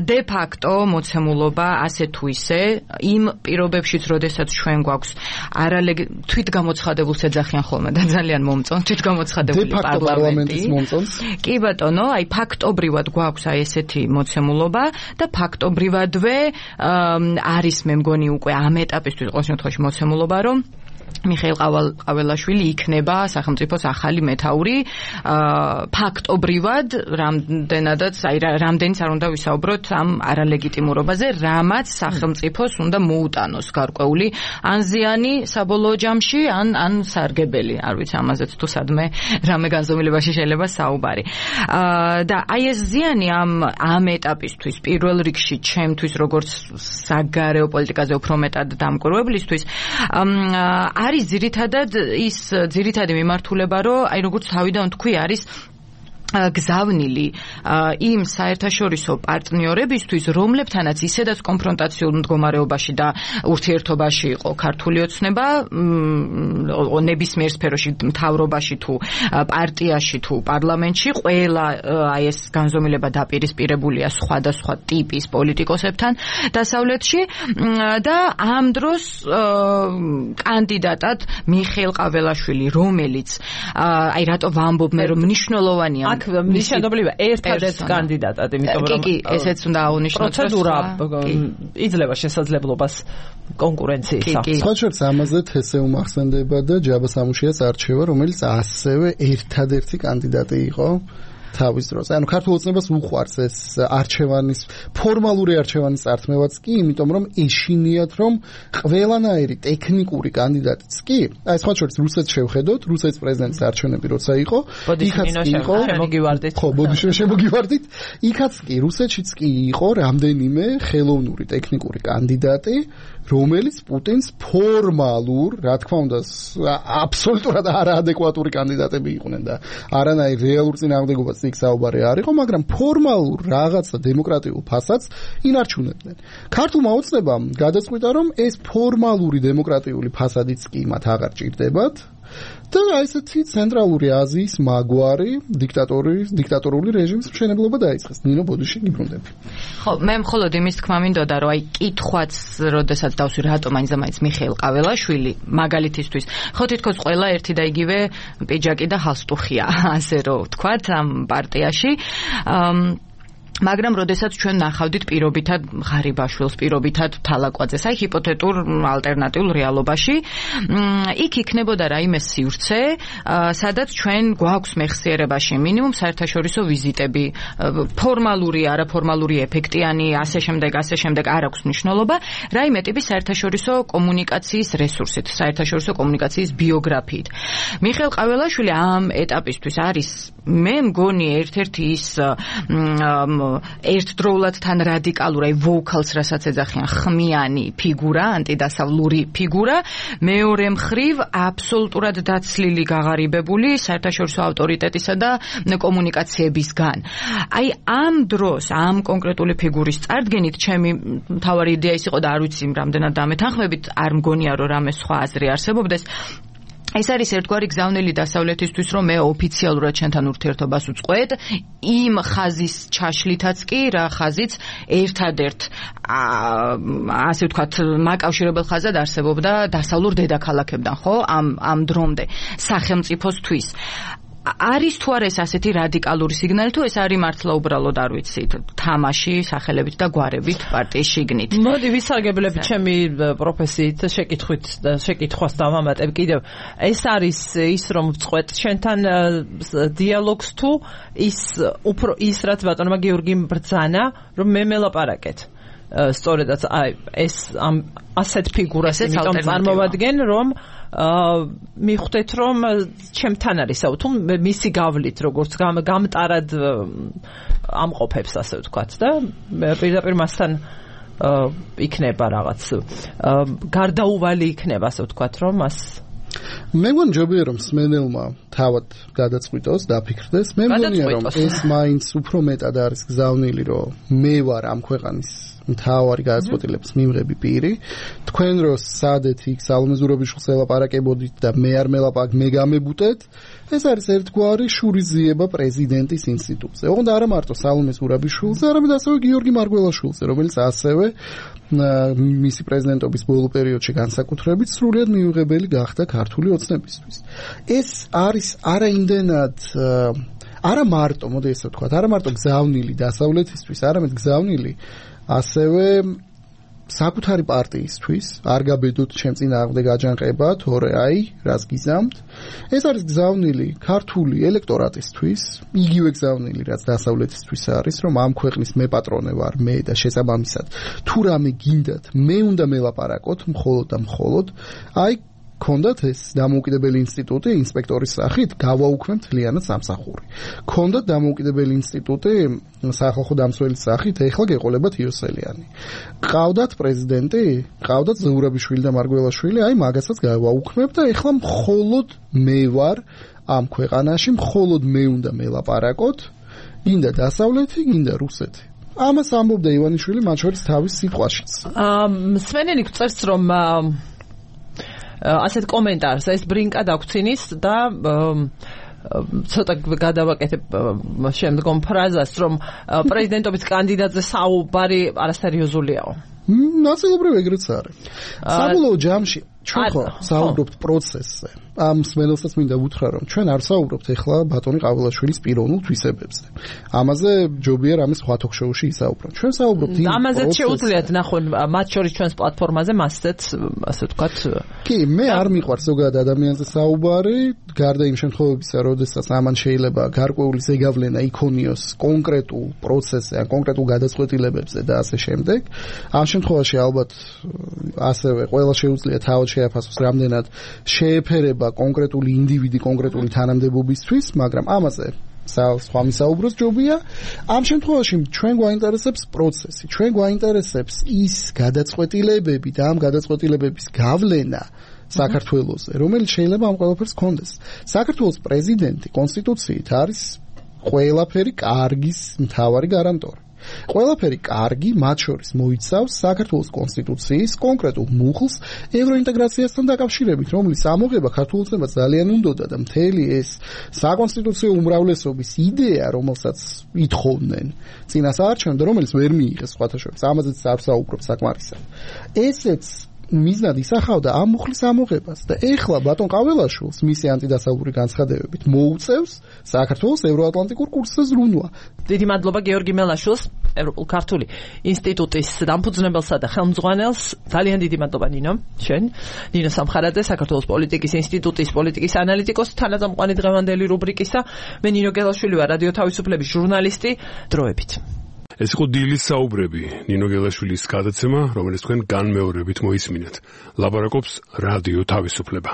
დე ფაქტო მოცემულობა ასე თუ ისე იმ პირობებშიც, როდესაც ჩვენ გვაქვს არალეგ თვითგამოცხადებულს ეძახიან ხოლმე და ძალიან მომწონს თვითგამოცხადებული პარლამენტი. კი ბატონო, აი ფაქტობრივად გვაქვს აი ესეთი მოცემულობა და ფაქტობრივადვე არის მე მგონი უკვე ამ ეტაპისთვის ყოველ შემთხვევაში მოცემულობა, რომ მიხეილ ყაველაშვილი იქნება სახელმწიფოს ახალი მეთაური. ფაქტობრივად რამდენადაც აი რამდენიც არ უნდა ვისაუბროთ ამ არალეგიტიმურობაზე, რამაც სახელმწიფოს უნდა მოუტანოს გარკვეული ან ზიანი საბოლოო ჯამში, ან ან სარგებელი. არ ვიცი ამაზეც თუ სადმე რამე განზომილებაში შეიძლება საუბარი. და აი ეს ზიანი ამ ამ ეტაპისთვის პირველ რიგში ჩემთვის როგორც საგარეო პოლიტიკაზე უფრო მეტად დამკვირვებლისთვის არის ძირითადად ის ძირითადი მიმართულება, რომ აი როგორც თავიდან თქვი, არის გზავნილი იმ საერთაშორისო პარტნიორებისთვის, რომლებთანაც ისედაც კონფრონტაციულ მდგომარეობაში და ურთიერთობაში იყო ქართული ოცნება, ნებისმიერ სფეროში, მთავრობაში თუ პარტიაში თუ პარლამენტში, ყველა აი ეს განზომილება დაპირისპირებულია სხვადასხვა ტიპის პოლიტიკოსებთან დასავლეთში და ამ დროს კანდიდატად მიხეილ ყაველაშვილი, რომელიც აი რატო ვამბობ მე რომ მნიშვნელოვანია მიშენდობლივ ერთადერთ კანდიდატად, იმიტომ რომ კი, ესეც უნდა აღნიშნოთ, პროცედურა იძლევა შესაძლებლობას კონკურენციისა. სხვა შორს ამაზე თესე უმახსენდება და ჯაბა სამუშიას არჩევა, რომელიც ასევე ერთადერთი კანდიდატი იყო თავის დროს. ანუ ქართულ ოცნებას უყვარს ეს არჩევანის ფორმალური არჩევანის წართმევაც კი, იმიტომ რომ ეშინიათ რომ ყველანაირი ტექნიკური კანდიდატიც კი, აი სხვა შორის რუსეთს შევხედოთ, რუსეთის პრეზიდენტის არჩევნები როცა იყო, იქაც კი იყო, შემოგივარდით. ხო, ბოდიშო შემოგივარდით. იქაც კი რუსეთშიც კი იყო რამდენიმე ხელოვნური ტექნიკური კანდიდატი, რომელიც პუტინს ფორმალურ, რა თქმა უნდა, აბსოლუტურად არაადეკვატური კანდიდატები იყვნენ და არანაირ რეალურ წინააღმდეგობას იქ საუბარი არ იყო, მაგრამ ფორმალურ რაღაცა დემოკრატიულ ფასადს ინარჩუნებდნენ. ქართულმა ოცნებამ გადაწყვიტა, რომ ეს ფორმალური დემოკრატიული ფასადიც კი მათ აღარ ჭირდებათ და აი ესეთი ცენტრალური აზიის მაგვარი დიქტატორის დიქტატორული რეჟიმის მშენებლობა დაიწყეს. ნინო ბოდიში გიბრუნდები. ხო, მე მხოლოდ იმის თქმა მინდოდა, რომ აი კითხვაც, როდესაც დავსვი რატომ აინზამაინც მიხეილ ყაველაშვილი მაგალითისთვის. ხო, თითქოს ყველა ერთი და იგივე პიჯაკი და ჰალსტუხია, ასე რომ ვთქვათ, ამ პარტიაში. მაგრამ როდესაც ჩვენ ნახავდით პირობითად ღარიბაშვილს, პირობითად თალაკვაძეს, აი ჰიპოთეტურ ალტერნატიულ რეალობაში, იქ იქნებოდა რაიმე სივრცე, სადაც ჩვენ გვაქვს მეხსიერებაში მინიმუმ საერთაშორისო ვიზიტები, ფორმალური, არაფორმალური, ეფექტიანი, ასე შემდეგ, ასე შემდეგ არ აქვს მნიშვნელობა, რაიმე ტიპის საერთაშორისო კომუნიკაციის რესურსით, საერთაშორისო კომუნიკაციის ბიოგრაფიით. მიხეილ ყაველაშვილი ამ ეტაპისთვის არის, მე მგონი, ერთ-ერთი ის ერთდროულად თან რადიკალური ვოქალს რასაც ეძახიან ხმიანი ფიგურა, ანტიდასავლური ფიგურა, მეორე მხრივ აბსოლუტურად დაცლილი გაღარიბებული საერთაშორისო ავტორიტეტისა და კომუნიკაციებისგან. აი ამ დროს, ამ კონკრეტული ფიგურის წარდგენით ჩემი მთავარი იდეა ის იყო და არ ვიცი რამდენად დამეთანხმებით, არ მგონია რომ რამე სხვა აზრი არსებობდეს. ეს არის ერთგვარი გზავნილი დასავლეთისთვის, რომ მე ოფიციალურად ჩვენთან ურთიერთობას უწყყვეთ, იმ ხაზის ჩაშლითაც კი, რა ხაზიც ერთადერთ ასე ვთქვათ, მაკავშირებელ ხაზად არსებობდა დასავლურ დედაქალაქებთან, ხო? ამ ამ დრომდე სახელმწიფოსთვის. არის თუ არა ეს ასეთი რადიკალური სიგნალი, თუ ეს არის მართლა უბრალოდ არ ვიცით, თამაში სახელებით და გვარებით პარტიის შიგნით. მოდი ვისარგებლებ ჩემი პროფესიით შეკითხვით და შეკითხვას დავამატებ კიდევ. ეს არის ის რომ ვწყვეტ ჩვენთან დიალოგს თუ ის უფრო ის რაც ბატონმა გიორგიმ ბრძანა, რომ მე მელაპარაკეთ. სწორედაც აი ეს ამ ასეთ ფიგურას იმიტომ წარმოვადგენ, რომ მიხვდეთ რომ ჩემთან არის აუ თუ მისი გავლით როგორც გამტარად ამყოფებს ასე ვთქვათ და პირდაპირ მასთან იქნება რაღაც გარდაუვალი იქნება ასე ვთქვათ რომ მას მე მგონი ჯობია რომ სმენელმა თავად გადაწყვიტოს, დაფიქრდეს. მე მგონია რომ ეს მაინც უფრო მეტად არის გზავნილი, რომ მე ვარ ამ ქვეყანის მთავარი გადაწყვეტილების მიმღები პირი. თქვენ რო სადეთ იქ სალომე ზურაბიშვილს ელაპარაკებოდით და მე არ მელაპარაკ, მე გამებუტეთ. ეს არის ერთგვარი შურიზიება პრეზიდენტის ინსტიტუტზე. ოღონდ არა მარტო სალომე ზურაბიშვილზე, არამედ ასევე გიორგი მარგველაშვილზე, რომელიც ასევე მისი პრეზიდენტობის ბოლო პერიოდში განსაკუთრებით სრულიად მიუღებელი გახდა ქართული ოცნებისთვის. ეს არის არაიმდენად არა მარტო, მოდი ესე ვთქვათ, არა მარტო გზავნილი დასავლეთისთვის, არამედ გზავნილი ასევე საკუთარი პარტიისთვის, არ გაბედოთ ჩემ წინააღმდეგ აჯანყება, თორე აი, რას გიზამთ. ეს არის გზავნილი ქართული ელექტორატისთვის, იგივე გზავნილი, რაც დასავლეთისთვის არის, რომ ამ ქვეყნის მე პატრონე ვარ, მე და შესაბამისად, თუ რამე გინდათ, მე უნდა მელაპარაკოთ, მხოლოდ და მხოლოდ, აი ქონდათ ეს დამოუკიდებელი ინსტიტუტი ინსპექტორის სახით გავაუქმებთ მთლიანად სამსახური. ქონდათ დამოუკიდებელი ინსტიტუტი სახალხო დამცველის სახით, ეხლა გეყოლებათ იოსელიანი. ყავდათ პრეზიდენტი, ყავდათ ზურაბიშვილი და მარგველაშვილი, აი მაგასაც გავაუქმებთ და ეხლა მხოლოდ მე ვარ ამ ქვეყანაში, მხოლოდ მე უნდა მელაპარაკოთ, გინდა დასავლეთი, გინდა რუსეთი. ამას ამბობდა ივანიშვილი მათ შორის თავის სიტყვაშიც. მსმენელი გწერს რომ ასეთ კომენტარს ეს ბრინკა დაგვრცინის და ცოტა გადავაკეთებ შემდგომ ფრაზას რომ პრეზიდენტობის კანდიდატზე საუბარი არასერიოზულიაო. ნაწილობრივ ეგრეც არის. საბოლოო ჯამში ჩვენ ხო საუბრობთ პროცესზე. ამ მსმენელსაც მინდა ვუთხრა რომ ჩვენ არ საუბრობთ ეხლა ბატონი ყაველაშვილის პიროვნულ თვისებებზე. ამაზე ჯობია რამე სხვა თოქ-შოუში ისაუბროთ. ჩვენ საუბრობთ იმ ამაზეც შეუძლიათ ნახონ მათ შორის ჩვენს პლატფორმაზე მასეც ასე ვთქვათ. კი, მე არ მიყვარს ზოგადად ადამიანზე საუბარი, გარდა იმ შემთხვევებისა, როდესაც ამან შეიძლება გარკვეული ზეგავლენა იქონიოს კონკრეტულ პროცესზე, ან კონკრეტულ გადაწყვეტილებებზე და ასე შემდეგ. ამ შემთხვევაში ალბათ ასევე ყველა შეუძლია თავად შეაფასოს რამდენად შეეფერება კონკრეტული ინდივიდი კონკრეტული თანამდებობისთვის, მაგრამ ამაზე სხვა მისაუბროს ჯობია. ამ შემთხვევაში ჩვენ გვაინტერესებს პროცესი, ჩვენ გვაინტერესებს ის გადაწყვეტილებები და ამ გადაწყვეტილებების გავლენა საქართველოსზე, რომელიც შეიძლება ამ ყველაფერს ჰქონდეს. საქართველოს პრეზიდენტი კონსტიტუციით არის ყველაფერი კარგის მთავარი გარანტორი. ყველაფერი კარგი, მათ შორის მოიცავს საქართველოს კონსტიტუციის კონკრეტულ მუხლს ევროინტეგრაციასთან დაკავშირებით, რომლის ამოღება ქართულ ოცნებას ძალიან უნდოდა და მთელი ეს საკონსტიტუციო უმრავლესობის იდეა, რომელსაც ითხოვდნენ წინასაარჩევნო და რომელიც ვერ მიიღეს სხვათა შორის, ამაზეც არ საუბრობ საკმარისად. ესეც მიზნად ისახავდა ამ მუხლის ამოღებას და ეხლა ბატონ ყაველაშვილს მისი ანტიდასავლური განცხადებებით მოუწევს საქართველოს ევროატლანტიკურ კურსზე ზრუნვა. დიდი მადლობა გეორგი მელაშვილს, ევროპულ ქართული ინსტიტუტის დამფუძნებელსა და ხელმძღვანელს. ძალიან დიდი მადლობა ნინო, შენ. ნინო სამხარაძე, საქართველოს პოლიტიკის ინსტიტუტის პოლიტიკის ანალიტიკოსი, თანაწამყვანი დღევანდელი რუბრიკისა. მე ნინო გელაშვილი ვარ, რადიო თავისუფლების ჟურნალისტი. დროებით. ეს იყო დილის საუბრები, ნინო გელაშვილის გადაცემა, რომელიც თქვენ განმეორებით მოისმინეთ. ლაპარაკობს რადიო თავისუფლება.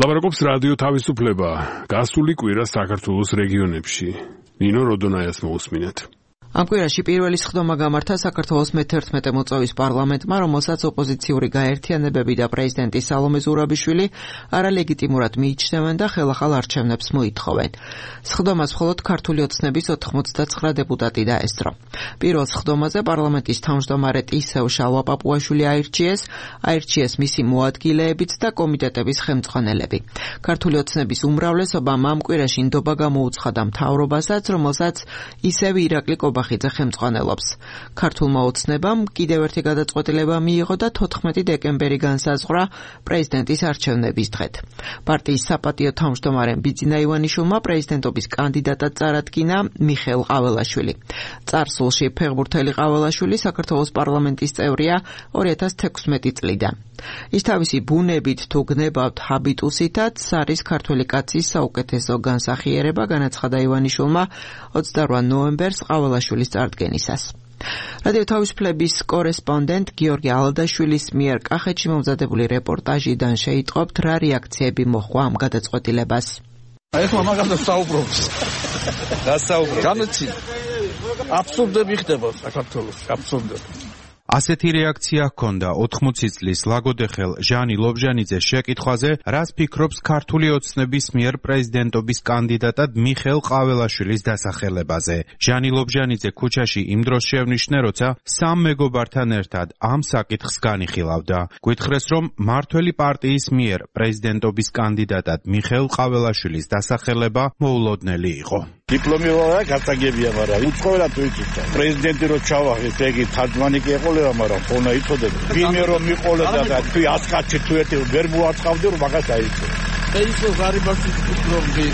ლაპარაკობს რადიო თავისუფლება. გასული კვირა საქართველოს რეგიონებში. ნინო როდონაიას მოусმინეთ. ამ კვირაში პირველი სხდომა გამართა საქართველოს მეთერთმეტე მოწვევის პარლამენტმა, რომელსაც ოპოზიციური გაერთიანებები და პრეზიდენტი სალომე ზურაბიშვილი არალეგიტიმურად მიიჩნევენ და ხელახალ არჩევნებს მოითხოვენ. სხდომას მხოლოდ ქართული ოცნების ოთხმოცდაცხრა დეპუტატი დაესწრო. პირველ სხდომაზე პარლამენტის თავმჯდომარე ტისევ შალვა-პაპუაშვილი აირჩიეს, აირჩიეს მისი მოადგილეებიც და კომიტეტების ხელმძღვანელები. ქართული ოცნების უმრავლესობამ ამ კვირაში ნდობა გამოუცხადა მთავრობასაც, რომელსაც ისევ ირაკლი ბახიძე ხელმძღვანელობს. ქართულმა ოცნებამ კიდევ ერთი გადაწყვეტილება მიიღო და თოთხმეტი დეკემბერი განსაზღვრა პრეზიდენტის არჩევნების დღედ. პარტიის საპატიო თავმჯდომარემ ბიძინა ივანიშვილმა პრეზიდენტობის კანდიდატად წარადგინა მიხეილ ყაველაშვილი. წარსულში ფეხბურთელი ყაველაშვილი საქართველოს პარლამენტის წევრია ორი ათას თექვსმეტი წლიდან. ის თავისი ბუნებით თუ გნებავთ ჰაბიტუსითაც არის ქართველი კაცის საუკეთესო განსახიერება, განაცხადა ივანიშვილმა ოცდაორ ნოემბერს ყაველაშვილის წარდგენისას. რადიო თავისუფლების კორესპონდენტ გიორგი ალადაშვილის მიერ კახეთში მომზადებული რეპორტაჟიდან შეიტყობთ, რა რეაქციები მოჰყვა ამ გადაწყვეტილებას. ეხლა მაგასაც საუბრობს. რა საუბრობს? განაცი. აბსურდები ხდება საქართველოს, აბსურდები. ასეთი რეაქცია ჰქონდა ოთხმოცი წლის ლაგოდეხელ ჟანი ლობჟანიძეს შეკითხვაზე, რას ფიქრობს ქართული ოცნების მიერ პრეზიდენტობის კანდიდატად მიხეილ ყაველაშვილის დასახელებაზე. ჟანი ლობჟანიძე ქუჩაში იმ დროს შევნიშნე, როცა სამ მეგობართან ერთად ამ საკითხს განიხილავდა. გვითხრეს, რომ მართველი პარტიის მიერ პრეზიდენტობის კანდიდატად მიხეილ ყაველაშვილის დასახელება მოულოდნელი იყო. დიპლომი რა გასაგებია, მაგრამ უცხოელად თუ იცით პრეზიდენტი რო ჩავახეს, ეგი თარჯმანი კი ეყოლება, მაგრამ ხონა იცოდეთ. ვინმე რომ მიყოლოდა და თუ ასკაცი თუ ერთი ვერ მოაწყავდი, რომ მაგას აიცო. ეს ის გარიბაში ფიქრობდი,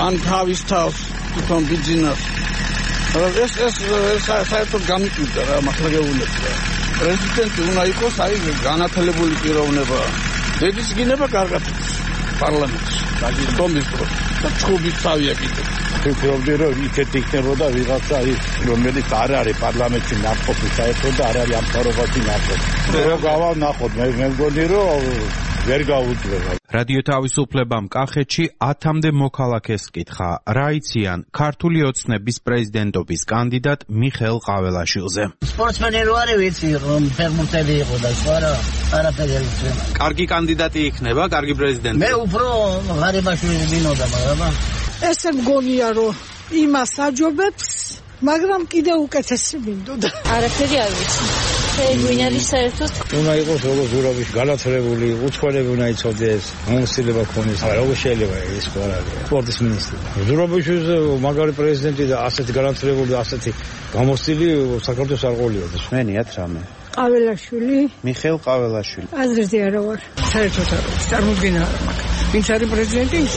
ან თავის თავს თვითონ ბიძინას. ეს ეს საერთოდ გამიკვირდა რა, მართლა გეუბნები. პრეზიდენტი უნდა იყოს აი განათლებული პიროვნება. დედის გინება კარგად პარლამენტში. დაგიწყობის დროს და ჩხუბით წავია კიდე. ფიქრობდი რომ იქეთ იქნებოდა ვიღაცა ის რომელიც არ არის პარლამენტში ნახყოფი საერთოდ და არ არის ამ თავრობაში ნახყოფი. რო გავალ ნახოთ მე მე მგონი რომ ვერ გაუძლება. რადიო თავისუფლებამ კახეთში ათამდე მოქალაქეს კითხა, რა იციან ქართული ოცნების პრეზიდენტობის კანდიდატ მიხეილ ყაველაშვილზე. სპორტსმენი რო არის ვიცი რომ ფეხბურთელი იყო და სხვა რა არაფერი არ იცი. კარგი კანდიდატი იქნება, კარგი პრეზიდენტი. მე უფრო ღარიბაშვილი მინოდა, მაგრამ ესე მგონია რომ იმას აჯობებს, მაგრამ კიდე უკეთესი მინდოდა. არაფერი არ ვიცი. ვინ არის საერთოდ? უნდა იყოს როგორ ზურაბიშვილი, განათლებული, უცხოელები უნდა იცოდეს, ამოსილება ქონდეს. როგორ შეიძლება ეს ყველაფერი? სპორტის მინისტრი. ზურაბიშვილის მაგარი პრეზიდენტი და ასეთი განათლებული და ასეთი გამოსილი საქართველოს არ ყოლიოდა. მენიათ რამე. ყაველაშვილი. მიხეილ ყაველაშვილი. აზრზე არა ვარ. საერთოდ არ ვიცი, წარმოდგენა არ მაქვს. ვინც არის პრეზიდენტი, ის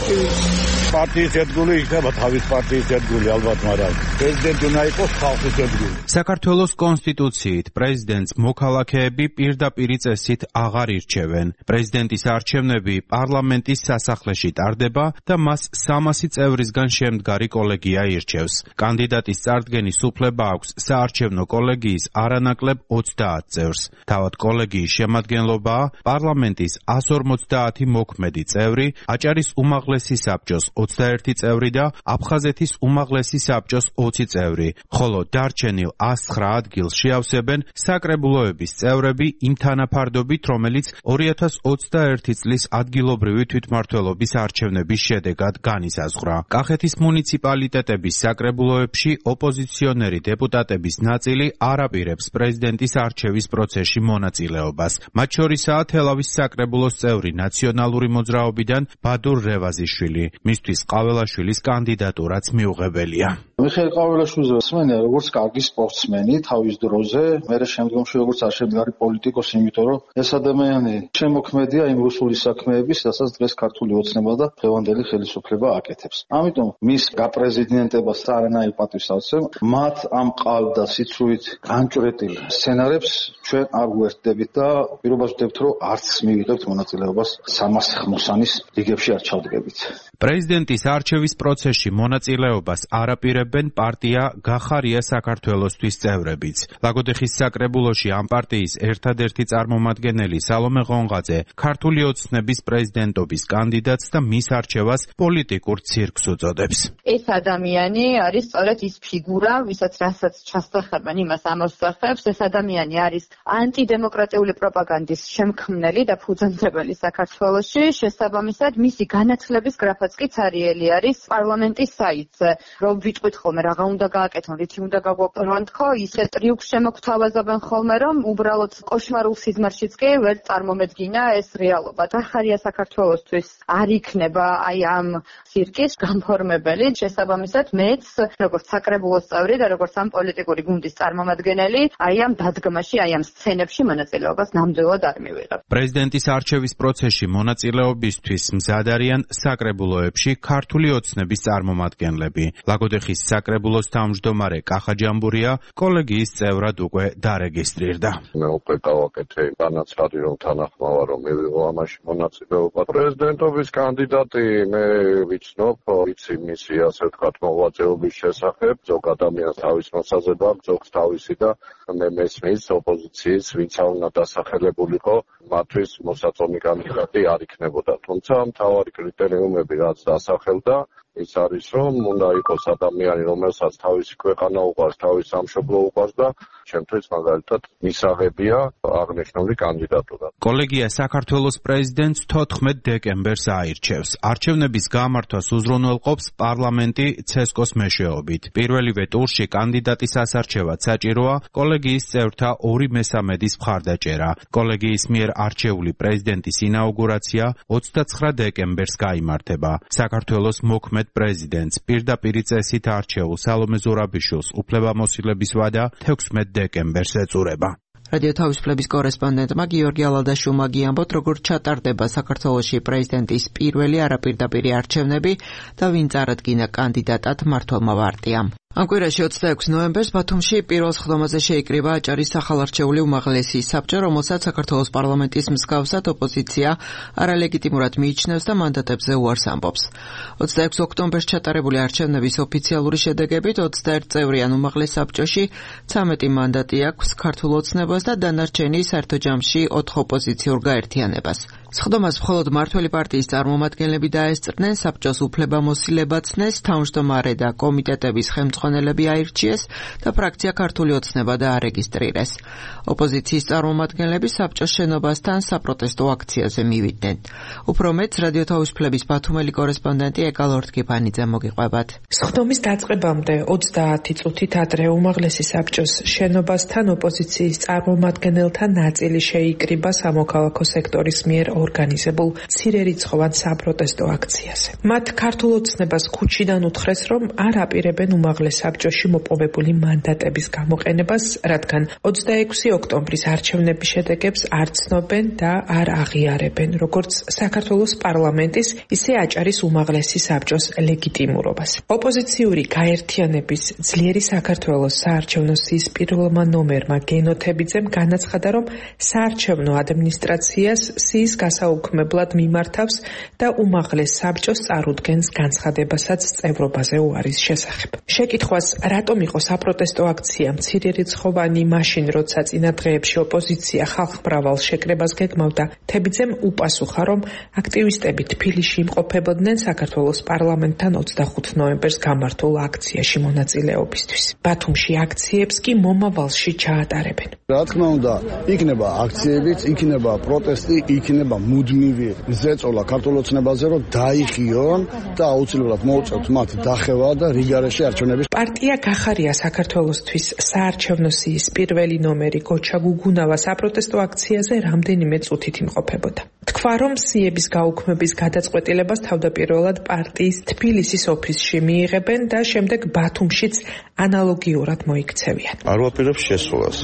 პარტიის ერთგული იქნება, თავის პარტიის ერთგული ალბათ, მაგრამ პრეზიდენტი უნდა იყოს ხალხის ერთგული. საქართველოს კონსტიტუციით პრეზიდენტს მოქალაქეები პირდაპირი წესით აღარ ირჩევენ. პრეზიდენტის არჩევნები პარლამენტის სასახლეში ტარდება და მას სამასი წევრისგან შემდგარი კოლეგია ირჩევს. კანდიდატის წარდგენის უფლება აქვს საარჩევნო კოლეგიის არანაკლებ ოცდაათ წევრს. თავად კოლეგიის შემადგენლობაა პარლამენტის ასორმოცდაათი მოქმედი წევრი, აჭარის უმაღლესი საბჭოს ოცდაერთი წევრი და აფხაზეთის უმაღლესი საბჭოს ოცი წევრი, ხოლო დარჩენილ ას ცხრა ადგილს შეავსებენ საკრებულოების წევრები იმ თანაფარდობით, რომელიც ორი ათას ოცდაერთი წლის ადგილობრივი თვითმმართველობის არჩევნების შედეგად განისაზღვრა. კახეთის მუნიციპალიტეტების საკრებულოებში ოპოზიციონერი დეპუტატების ნაწილი არ აპირებს პრეზიდენტის არჩევის პროცესში მონაწილეობას. მათ შორისაა თელავის საკრებულოს წევრი ნაციონალური მოძრაობიდან ბადურ რევაზიშვილი. მისთვის ყაველაშვილის კანდიდატურაც მიუღებელია. მიხეილ ყაველაშვილზე მსმენია როგორც კარგი სპორტსმენი თავის დროზე, მერე შემდგომში როგორც არჩევგარი პოლიტიკოსი, იმიტომ რომ ეს ადამიანი შემოქმედია იმ რუსული საქმეების, რასაც დღეს ქართული ოცნება და დღევანდელი ხელისუფლება აკეთებს. ამიტომ მის გაპრეზიდენტებას არანაირ პატივს არ ვცემ. მათ ამ ყალბ და სიცრუით განჭვრეტილ სცენარებს ჩვენ არ გვერდდებით და პირობას ვდებთ, რომ არც მივიღებთ მონაწილეობას სამას ხმოსანის რიგებში არ ჩავდგებით. პრეზიდენტის არჩევის პროცესში მონაწილეობას არ აპირებენ პარტია გახარია საქართველოსთვის წევრებიც. ლაგოდეხის საკრებულოში ამ პარტიის ერთადერთი წარმომადგენელი სალომე ღონღაძე ქართული ოცნების პრეზიდენტობის კანდიდატს და მის არჩევას პოლიტიკურ ცირკს უწოდებს. ეს ადამიანი არის სწორედ ის ფიგურა, ვისაც რასაც ჩასახებენ, იმას ამოსახებს. ეს ადამიანი არის ანტიდემოკრატიული პროპაგანდის შემქმნელი და ფუძემდებელი საქართველოში. შესაბამისად, მისი განათლების გრაფაც კი ცარიელი არის პარლამენტის საიტზე. რომ ვიტყვით ხოლმე რაღა უნდა გააკეთონ, რითი უნდა გაგვაპროვან თქო, ისე ტრიუქს შემოგთავაზობენ ხოლმე, რომ უბრალოდ კოშმარულ სიზმარშიც კი ვერ წარმომედგინა ეს რეალობა. გახარია საქართველოსთვის არ იქნება აი ამ ცირკის განფორმებელი. შესაბამისად, მეც როგორც საკრებულოს წევრი და როგორც ამ პოლიტიკური გუნდის წარმომადგენელი, აი ამ დადგმაში, აი ამ სცენებში მონაწილეობას ნამდვილად არ მივიღებ. პრეზიდენტის არჩევის პროცესში მონაწილეობისთვის მზად არიან საკრებულოებში ქართული ოცნების წარმომადგენლები. ლაგოდეხის საკრებულოს თავმჯდომარე კახა ჯამბურია კოლეგიის წევრად უკვე დარეგისტრირდა. მე უკვე გავაკეთე განაცხადი, რომ თანახმავა რომ მივიღო ამაში მონაწილეობა. პრეზიდენტობის კანდიდატი მე ვიცნობ, ვიცი მისი ასე ვთქვათ მოღვაწეობის შესახებ, ზოგ ადამიანს თავის მოსაზრება, ზოგს თავისი და მე მესმის ოპოზიციის ვინცა უნდა დასახელებულიყო, მათთვის მოსაწონი კანდიდატი არ იქნებოდა. თუმცა მთავარი კრიტერიუმები რაც დასახელდა, ის არის რომ უნდა იყოს ადამიანი, რომელსაც თავისი ქვეყანა უყვარს, თავის სამშობლო უყვარს და ჩემთვის მაგალითად მისაღებია აღნიშნული კანდიდატურა. კოლეგია საქართველოს პრეზიდენტს თოთხმეტ დეკემბერს აირჩევს. არჩევნების გამართვას უზრუნველყოფს პარლამენტი ცესკოს მეშვეობით. პირველივე ტურში კანდიდატის ასარჩევად საჭიროა კოლეგიის წევრთა ორი მესამედის მხარდაჭერა. კოლეგიის მიერ არჩეული პრეზიდენტის ინაუგურაცია ოცდაცხრა დეკემბერს გაიმართება. საქართველოს მოქმედ პრეზიდენტს პირდაპირ წესით არჩეულ სალომე ზურაბიშვილს უფლებამოსილების ვადა თექვსმეტ დეკემბერს ეწურება. რადიო თავისუფლების კორესპონდენტმა გიორგი ალადაშვილმა გიამბოთ, როგორ ჩატარდება საქართველოში პრეზიდენტის პირველი არაპირდაპირი არჩევნები და ვინ წარადგინა კანდიდატად მმართველმა პარტიამ. ამ კვირაში ოცდაექვსი ნოემბერს ბათუმში პირველ სხდომაზე შეიკრიბა აჭარის სახალარჩეული უმაღლესი საბჭო, რომელსაც საქართველოს პარლამენტის მსგავსად ოპოზიცია არალეგიტიმურად მიიჩნევს და მანდატებზე უარს ამბობს. ოცდაექვსი ოქტომბერს ჩატარებული არჩევნების ოფიციალური შედეგებით ოცდაერთი წევრიან უმაღლეს საბჭოში ცამეტი მანდატი აქვს ქართულ ოცნებას და დანარჩენი საერთო ჯამში ოთხ ოპოზიციურ გაერთიანებას. სხდომას მხოლოდ მმართველი პარტიის წარმომადგენლები დაესწრნენ, საბჭოს უფლებამოსილება ცნეს, თავმჯდომარე და კომიტეტების ხელმძღვანელები აირჩიეს და ფრაქცია ქართული ოცნება დაარეგისტრირეს. ოპოზიციის წარმომადგენლები საბჭოს შენობასთან საპროტესტო აქციაზე მივიდნენ. უფრო მეტს რადიო თავისუფლების ბათუმელი კორესპონდენტი ეკა ლორთქიფანიძე მოგიყვებათ. სხდომის დაწყებამდე ოცდაათი წუთით ადრე უმაღლესი საბჭოს შენობასთან ოპოზიციის წარმომადგენელთა ნაწილი შეიკრიბა სამოქალაქო სექტორის მიერ ორგანიზებულ მცირერიცხოვან საპროტესტო აქციაზე. მათ ქართულ ოცნებას ქუჩიდან უთხრეს, რომ არ აპირებენ უმაღლეს საბჭოში მოპოვებული მანდატების გამოყენებას, რადგან ოცდაექვსი ოქტომბრის არჩევნების შედეგებს არ ცნობენ და არ აღიარებენ, როგორც საქართველოს პარლამენტის, ისე აჭარის უმაღლესი საბჭოს ლეგიტიმურობას. ოპოზიციური გაერთიანების ძლიერი საქართველოს საარჩევნო სიის პირველმა ნომერმა გენოთებიძემ განაცხადა, რომ საარჩევნო ადმინისტრაციას სიის გასაუქმებლად მიმართავს და უმაღლეს საბჭოს წარუდგენს განცხადებასაც წევრობაზე უარის შესახებ. შეკითხვას, რატომ იყო საპროტესტო აქცია მცირერიცხოვანი მაშინ, როცა წინა დღეებში ოპოზიცია ხალხმრავალ შეკრებას გეგმავდა, თებიძემ უპასუხა, რომ აქტივისტები თბილისში იმყოფებოდნენ საქართველოს პარლამენტთან ოცდახუთ ნოემბერს გამართულ აქციაში მონაწილეობისთვის. ბათუმში აქციებს კი მომავალში ჩაატარებენ. რა თქმა უნდა, იქნება აქციებიც, იქნება პროტესტი, იქნება მუდმივი ზეწოლა ქართულ ოცნებაზე, რომ დაიხიონ და აუცილებლად მოუწევთ მათ დახევა და რიგარეში არჩევნების. პარტია გახარია საქართველოსთვის საარჩევნო სიის პირველი ნომერი გოჩა გუგუნავა საპროტესტო აქციაზე რამდენიმე წუთით იმყოფებოდა. თქვა, რომ სიების გაუქმების გადაწყვეტილებას თავდაპირველად პარტიის თბილისის ოფისში მიიღებენ და შემდეგ ბათუმშიც ანალოგიურად მოიქცევიან. არ ვაპირებ შესულას,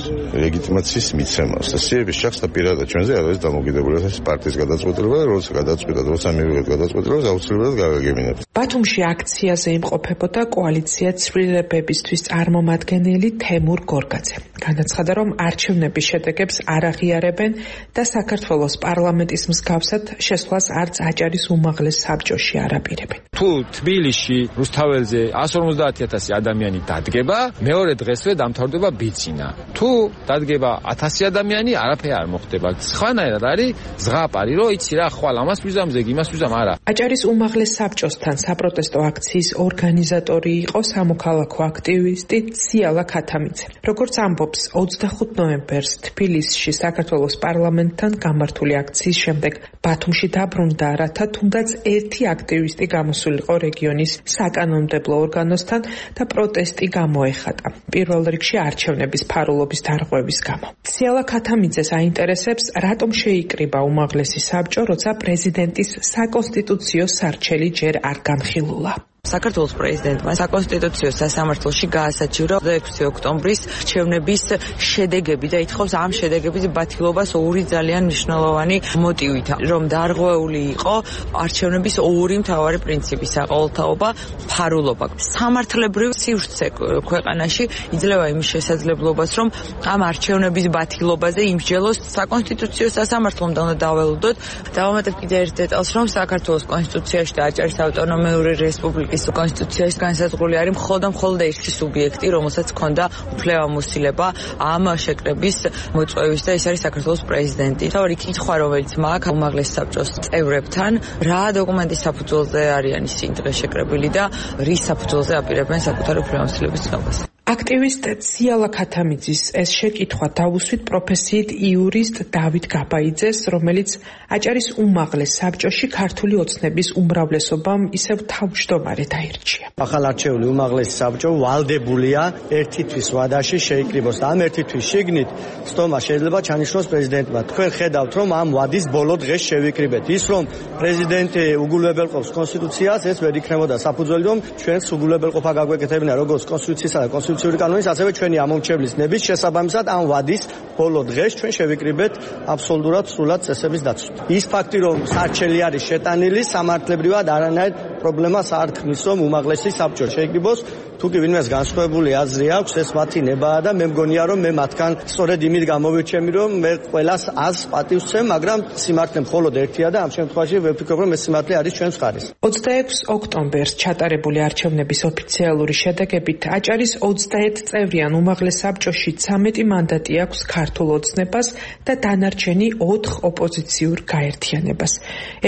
ლეგიტიმაციის მიცემას და სიების შეხსნა პირადად ჩვენზე არ არის დამოკიდებული ეს პარტიის გადაწყვეტილება, როცა გადაწყვეტა, როცა მივიღეთ გადაწყვეტილებას, აუცილებლად გავაგებინებთ. ბათუმში აქციაზე იმყოფებოდა კოალიცია ცვლილებებისთვის წარმომადგენელი თემურ გორგაძე. განაცხადა, რომ არჩევნების შედეგებს არ აღიარებენ და საქართველოს პარლამენტის მსგავსად შესვლას არც აჭარის უმაღლეს საბჭოში არ აპირებენ. თუ თბილისში რუსთაველზე εκατს ორმოცდაათ ათასი ადამიანი დადგება, მეორე დღესვე დამთავრდება ბიძინა. თუ დადგება ათასი ადამიანი, არაფერი არ მოხდება. სხვანაირად არის ზღაპარი, რომ იცი რა, ხვალ ამას ვიზამ, ზეგი იმას ვიზამ, არა. აჭარის უმაღლეს საბჭოსთან საპროტესტო აქციის ორგანიზატორი იყო სამოქალაქო აქტივისტი ციალა ქათამიძე. როგორც ამბობს, ოცდახუთ ნოემბერს თბილისში საქართველოს პარლამენტთან გამართული აქციის შემდეგ ბათუმში დაბრუნდა, რათა თუნდაც ერთი აქტივისტი გამოსულიყო რეგიონის საკანონმდებლო ორგანოსთან და პროტესტი გამოეხატა. პირველ რიგში არჩევნების ფარულობის დარღვევის გამო. ციალა ქათამიძეს აინტერესებს, რატომ შეიკრიბა უმაღლესი საბჭო, როცა პრეზიდენტის საკონსტიტუციო სარჩელი ჯერ არ განხილულა. საქართველოს პრეზიდენტმა საკონსტიტუციო სასამართლოში გაასაჩივრა ექვსი ოქტომბრის არჩევნების შედეგები და ითხოვს ამ შედეგების ბათილობას ორი ძალიან მნიშვნელოვანი მოტივით, რომ დარღვეული იყო არჩევნების ორი მთავარი პრინციპი: საყოველთაობა, ფარულობა. სამართლებრივ სივრცე ქვეყანაში იძლევა იმის შესაძლებლობას, რომ ამ არჩევნების ბათილობაზე იმსჯელოს საკონსტიტუციო სასამართლომ და უნდა დაველოდოთ. დავამატებ კიდე ერთ დეტალს, რომ საქართველოს კონსტიტუციაში და აჭარის ავტონომიური რესპუბლიკის კონსტიტუციაში განსაზღვრული არის მხოლოდ და მხოლოდ ერთი სუბიექტი, რომელსაც ჰქონდა უფლებამოსილება ამ შეკრების მოწვევის და ეს არის საქართველოს პრეზიდენტი. თავი კითხვა, რომელიც მაქვს უმაღლეს საბჭოს წევრებთან, რა დოკუმენტის საფუძველზე არიან ისინი დღეს შეკრებილი და რის საფუძველზე აპირებენ საკუთარი უფლებამოსილების ცნობას. აქტივისტ ციალა ქათამიძის ეს შეკითხვა დავუსვით პროფესიით იურისტ დავით გაბაიძეს, რომელიც აჭარის უმაღლეს საბჭოში ქართული ოცნების უმრავლესობამ ისევ თავმჯდომარედ აირჩია. ახალ არჩეული უმაღლესი საბჭო ვალდებულია ერთი თვის ვადაში შეიკრიბოს და ამ ერთი თვის შიგნით სტომა შეიძლება ჩანიშნოს პრეზიდენტმა. თქვენ ხედავთ, რომ ამ ვადის ბოლო დღეს შევიკრიბეთ. ის რომ პრეზიდენტი უგულებელყოფს კონსტიტუციას, ეს ვერ იქნებოდა საფუძველი, რომ ჩვენს უგულებელყოფა გაგვეკეთებინა როგორც კონსტიტუციისა და კონსტიტუციური კანონის, ასევე ჩვენი ამომრჩევლის ნების შესაბამისად ამ ვადის ბოლო დღეს ჩვენ შევიკრიბეთ აბსოლუტურად სრულად წესების დაცვით. ის ფაქტი, რომ სარჩელი არის შეტანილი, სამართლებრივად არანაირ პრობლემას არ ქმნის, რომ უმაღლესი საბჭო შეიკრიბოს. თუ კი ვინმეს განსხვავებული აზრი აქვს, ეს მათი ნებაა და მე მგონია, რომ მე მათგან სწორედ იმით გამოვირჩემი, რომ მე ყველას აზრს პატივს ვცემ, მაგრამ სიმართლე მხოლოდ ერთია და ამ შემთხვევაში ვფიქრობ, რომ ეს სიმართლე არის ჩვენს მხარეს. ოცდაექვსი ოქტომბერს ჩატარებული არჩევნების ოფიციალური შედეგებით აჭარის ოცდაერთი წევრიან უმაღლეს საბჭოში ცამეტი მანდატი აქვს ქართულ ოცნებას და დანარჩენი ოთხ ოპოზიციურ გაერთიანებას.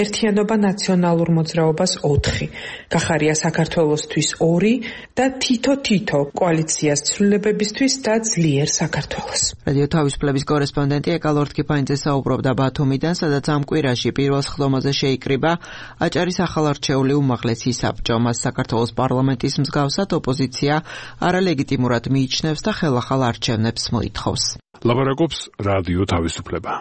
ერთიანობა ნაციონალურ მოძრაობას ოთხი, გახარია საქართველოსთვის ორი და თითო-თითო კოალიციას ცვლილებებისთვის და ძლიერ საქართველოს. რადიო თავისუფლების კორესპონდენტი ეკალორთ კიფაინძე საუბრობდა ბათუმიდან, სადაც ამ კვირაში პირველ სხდომაზე შეიკრიბა აჭარის ახალარჩეული უმაღლესი საბჭო. მას საქართველოს პარლამენტის მსგავსად ოპოზიცია არალეგიტიმურად მიიჩნევს და ხელახალ არჩევნებს მოითხოვს. ლაპარაკობს რადიო თავისუფლება.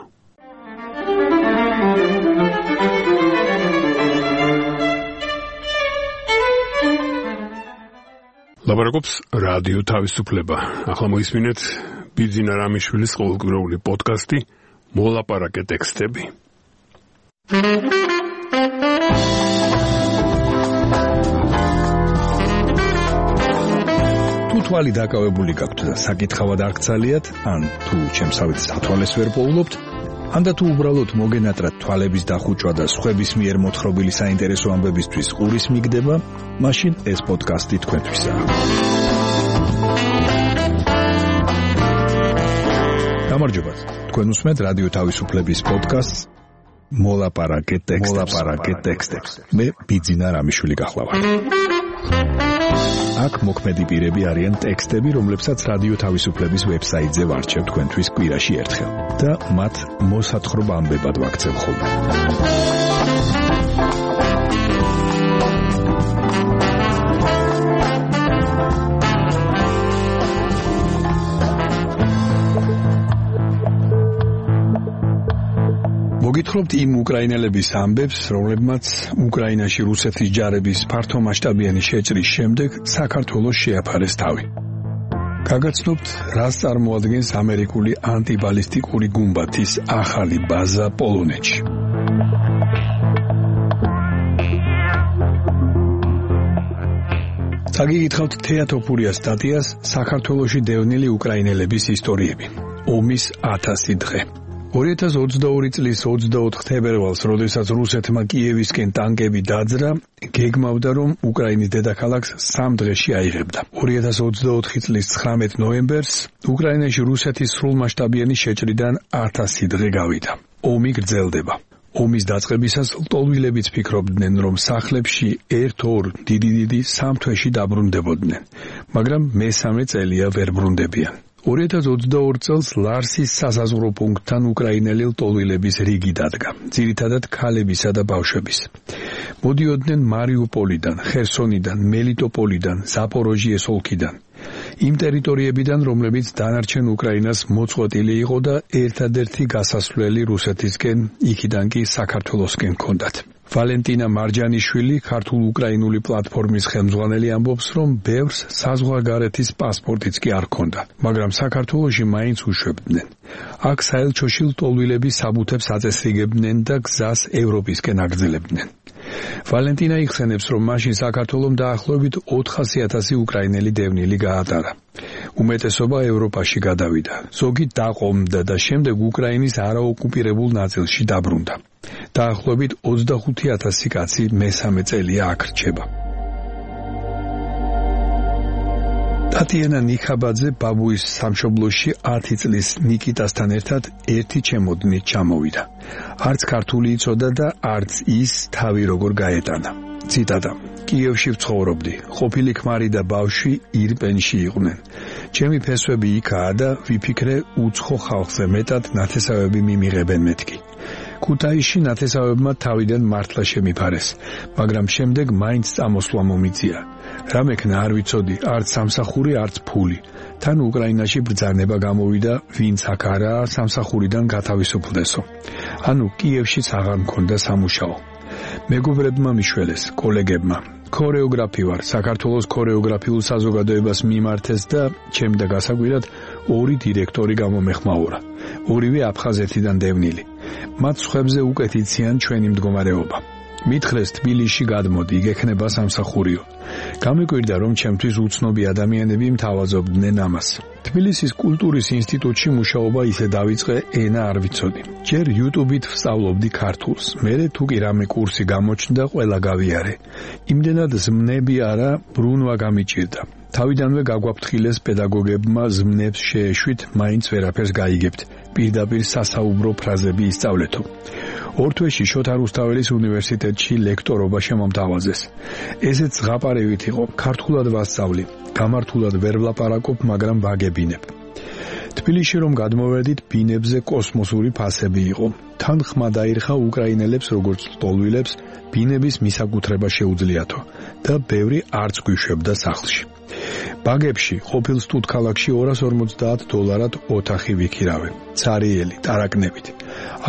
ლაპარაკობს რადიო თავისუფლება. ახლა მოისმინეთ ბიძინა რამიშვილის ყოველკვირეული პოდკასტი მოლაპარაკე ტექსტები. თუ თვალი დაკავებული გაქვთ და საკითხავად არ გცალიათ, ან თუ ჩემსავით სათვალეს ვერ პოულობთ, ანდა თუ უბრალოდ მოგენატრათ თვალების დახუჭვა და სხვების მიერ მოთხრობილი საინტერესო ამბებისთვის ყურის მიგდება, მაშინ ეს პოდკასტი თქვენთვისაა. გამარჯობათ. თქვენ უსმენთ რადიო თავისუფლების პოდკასტს მოლაპარაკე ტექსტებს. მოლაპარაკე ტექსტებს. მე ბიძინა რამიშვილი გახლავართ. აქ მოქმედი პირები არიან ტექსტები, რომლებსაც რადიო თავისუფლების ვებსაიტზე ვარჩევ თქვენთვის კვირაში ერთხელ და მათ მოსათხრობ ამბებად ვაქცევ ხოლმე. მოგითხრობთ იმ უკრაინელების ამბებს, რომლებმაც უკრაინაში რუსეთის ჯარების ფართომასშტაბიანი შეჭრის შემდეგ საქართველოს შეაფარეს თავი. გაგაცნობთ, რას წარმოადგენს ამერიკული ანტიბალისტიკური გუმბათის ახალი ბაზა პოლონეთში. წაგიგითხავთ თეატოფურიას სტატიას საქართველოში დევნილი უკრაინელების ისტორიები. ომის ათასი დღე. ორი ათას ოცდაორი წლის ოცდაოთხ თებერვალს, როდესაც რუსეთმა კიევისკენ ტანკები დაძრა, გეგმავდა, რომ უკრაინის დედაქალაქს სამ დღეში აიღებდა. ორი ათას ოცდაოთხი წლის ცხრამეტ ნოემბერს უკრაინაში რუსეთის სრულმასშტაბიანი შეჭრიდან ათასი დღე გავიდა. ომი გრძელდება. ომის დაწყებისას ლტოლვილებიც ფიქრობდნენ, რომ სახლებში ერთ-ორ დიდი-დიდი სამ თვეში დაბრუნდებოდნენ, მაგრამ მესამე წელია ვერ ბრუნდებიან. ორი ათას ოცდაორ წელს ლარსის სასაზღვრო პუნქტთან უკრაინელი ლტოლვილების რიგი დადგა, ძირითადად ქალებისა და ბავშვების. მოდიოდნენ მარიუპოლიდან, ხერსონიდან, მელიტოპოლიდან, ზაპოროჟიეს ოლქიდან. იმ ტერიტორიებიდან, რომლებიც დანარჩენ უკრაინას მოწყვეტილი იყო და ერთადერთი გასასვლელი რუსეთისკენ, იქიდან კი საქართველოსკენ ჰქონდათ. ვალენტინა მარჯანიშვილი, ქართულ-უკრაინული პლატფორმის ხელმძღვანელი, ამბობს, რომ ბევრს საზღვარგარეთის პასპორტიც კი არ ჰქონდა, მაგრამ საქართველოში მაინც უშვებდნენ. აქ საელჩოში ლტოლვილები საბუთებს აწესრიგებდნენ და გზას ევროპისკენ აგრძელებდნენ. ვალენტინა იხსენებს, რომ მაშინ საქართველომ დაახლოებით ოთხასი ათასი უკრაინელი დევნილი გაატარა. უმეტესობა ევროპაში გადავიდა, ზოგი დაყომდა და შემდეგ უკრაინის არაოკუპირებულ ნაწილში დაბრუნდა. დაახლოებით ოცდახუთი ათასი კაცი მესამე წელია აქ რჩება. ტატიანა ნიხაბაძე ბაბუის სამშობლოში ათი წლის ნიკიტასთან ერთად ერთი ჩემოდნით ჩამოვიდა. არც ქართული იცოდა და არც ის თავი როგორ გაეტანა. ციტატა: კიევში ვცხოვრობდი, ყოფილი ქმარი და ბავშვი ირპენში იყვნენ. ჩემი ფესვები იქაა და ვიფიქრე უცხო ხალხზე მეტად ნათესავები მიმიღებენ მეთქი. ქუთაისში ნათესავებმა თავიდან მართლა შემიფარეს, მაგრამ შემდეგ მაინც წამოსვლა მომიწია. რა მექნა არ ვიცოდი, არც სამსახური, არც ფული. თან უკრაინაში ბრძანება გამოვიდა, ვინც აქ არაა სამსახურიდან გათავისუფლდესო. ანუ კიევშიც აღარ მქონდა სამუშაო. მეგობრებმა მიშველეს, კოლეგებმა. ქორეოგრაფი ვარ, საქართველოს ქორეოგრაფიულ საზოგადოებას მიმართეს და ჩემდა გასაკვირად ორი დირექტორი გამომეხმაურა. ორივე აფხაზეთიდან დევნილი. მათ სხვებზე უკეთ იციან ჩვენი მდგომარეობა. მითხრეს თბილისში გადმოდი, გექნება სამსახურიო. გამიკვირდა, რომ ჩემთვის უცნობი ადამიანები მთავაზობდნენ ამას. თბილისის კულტურის ინსტიტუტში მუშაობა ისე დავიწყე, ენა არ ვიცოდი. ჯერ YouTube-ით ვსწავლობდი ქართულს, მერე თუ კი რამე კურსი გამოჩნდა, ყველა გავიარე. იმდენად ზმნები არა, ბრუნვა გამიჭირდა. თავიდანვე გაგვაფრთხილეს პედაგოგებმა ზმნებს შეეშვით, მაინც ვერაფერს გაიგებთ. პირდაპირ სასაუბრო ფრაზები ისწავლეთო. ორ თვეში შოთა რუსთაველის უნივერსიტეტში ლექტორობა შემომთავაზეს. ესეც ზღაპარევით იყო, ქართულად ვასწავლი. გამართულად ვერ ვლაპარაკობ, მაგრამ ვაგებინებ. თბილისში რომ გადმოვედით, ბინებზე კოსმოსური ფასები იყო. თან ხმა დაირხა უკრაინელებს როგორც ლტოლვილებს, ბინების მისაკუთრება შეუძლიათო და ბევრი არც გვიშვებდა სახლში. ბაგებში, ყოფილ სტუდქალაქში ორას ორმოცდაათ დოლარად ოთახი ვიქირავე. ცარიელი, ტარაკნებით.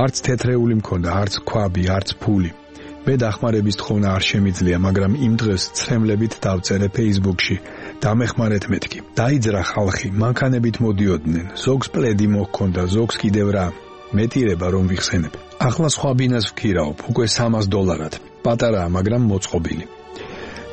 არც თეთრეული მქონდა, არც ქვაბი, არც ფული. მე დახმარების თხოვნა არ შემიძლია, მაგრამ იმ დღეს ცრემლებით დავწერე Facebook-ში. დამეხმარეთ მეთქი. დაიძრა ხალხი, მანქანებით მოდიოდნენ. ზოგს პლედი მოჰქონდა, ზოგს კიდევ რა. მეტირება რომ ვიხსენებ. ახლა სხვა ბინას ვქირავ, უკვე სამას დოლარად. პატარაა, მაგრამ მოწყობილი.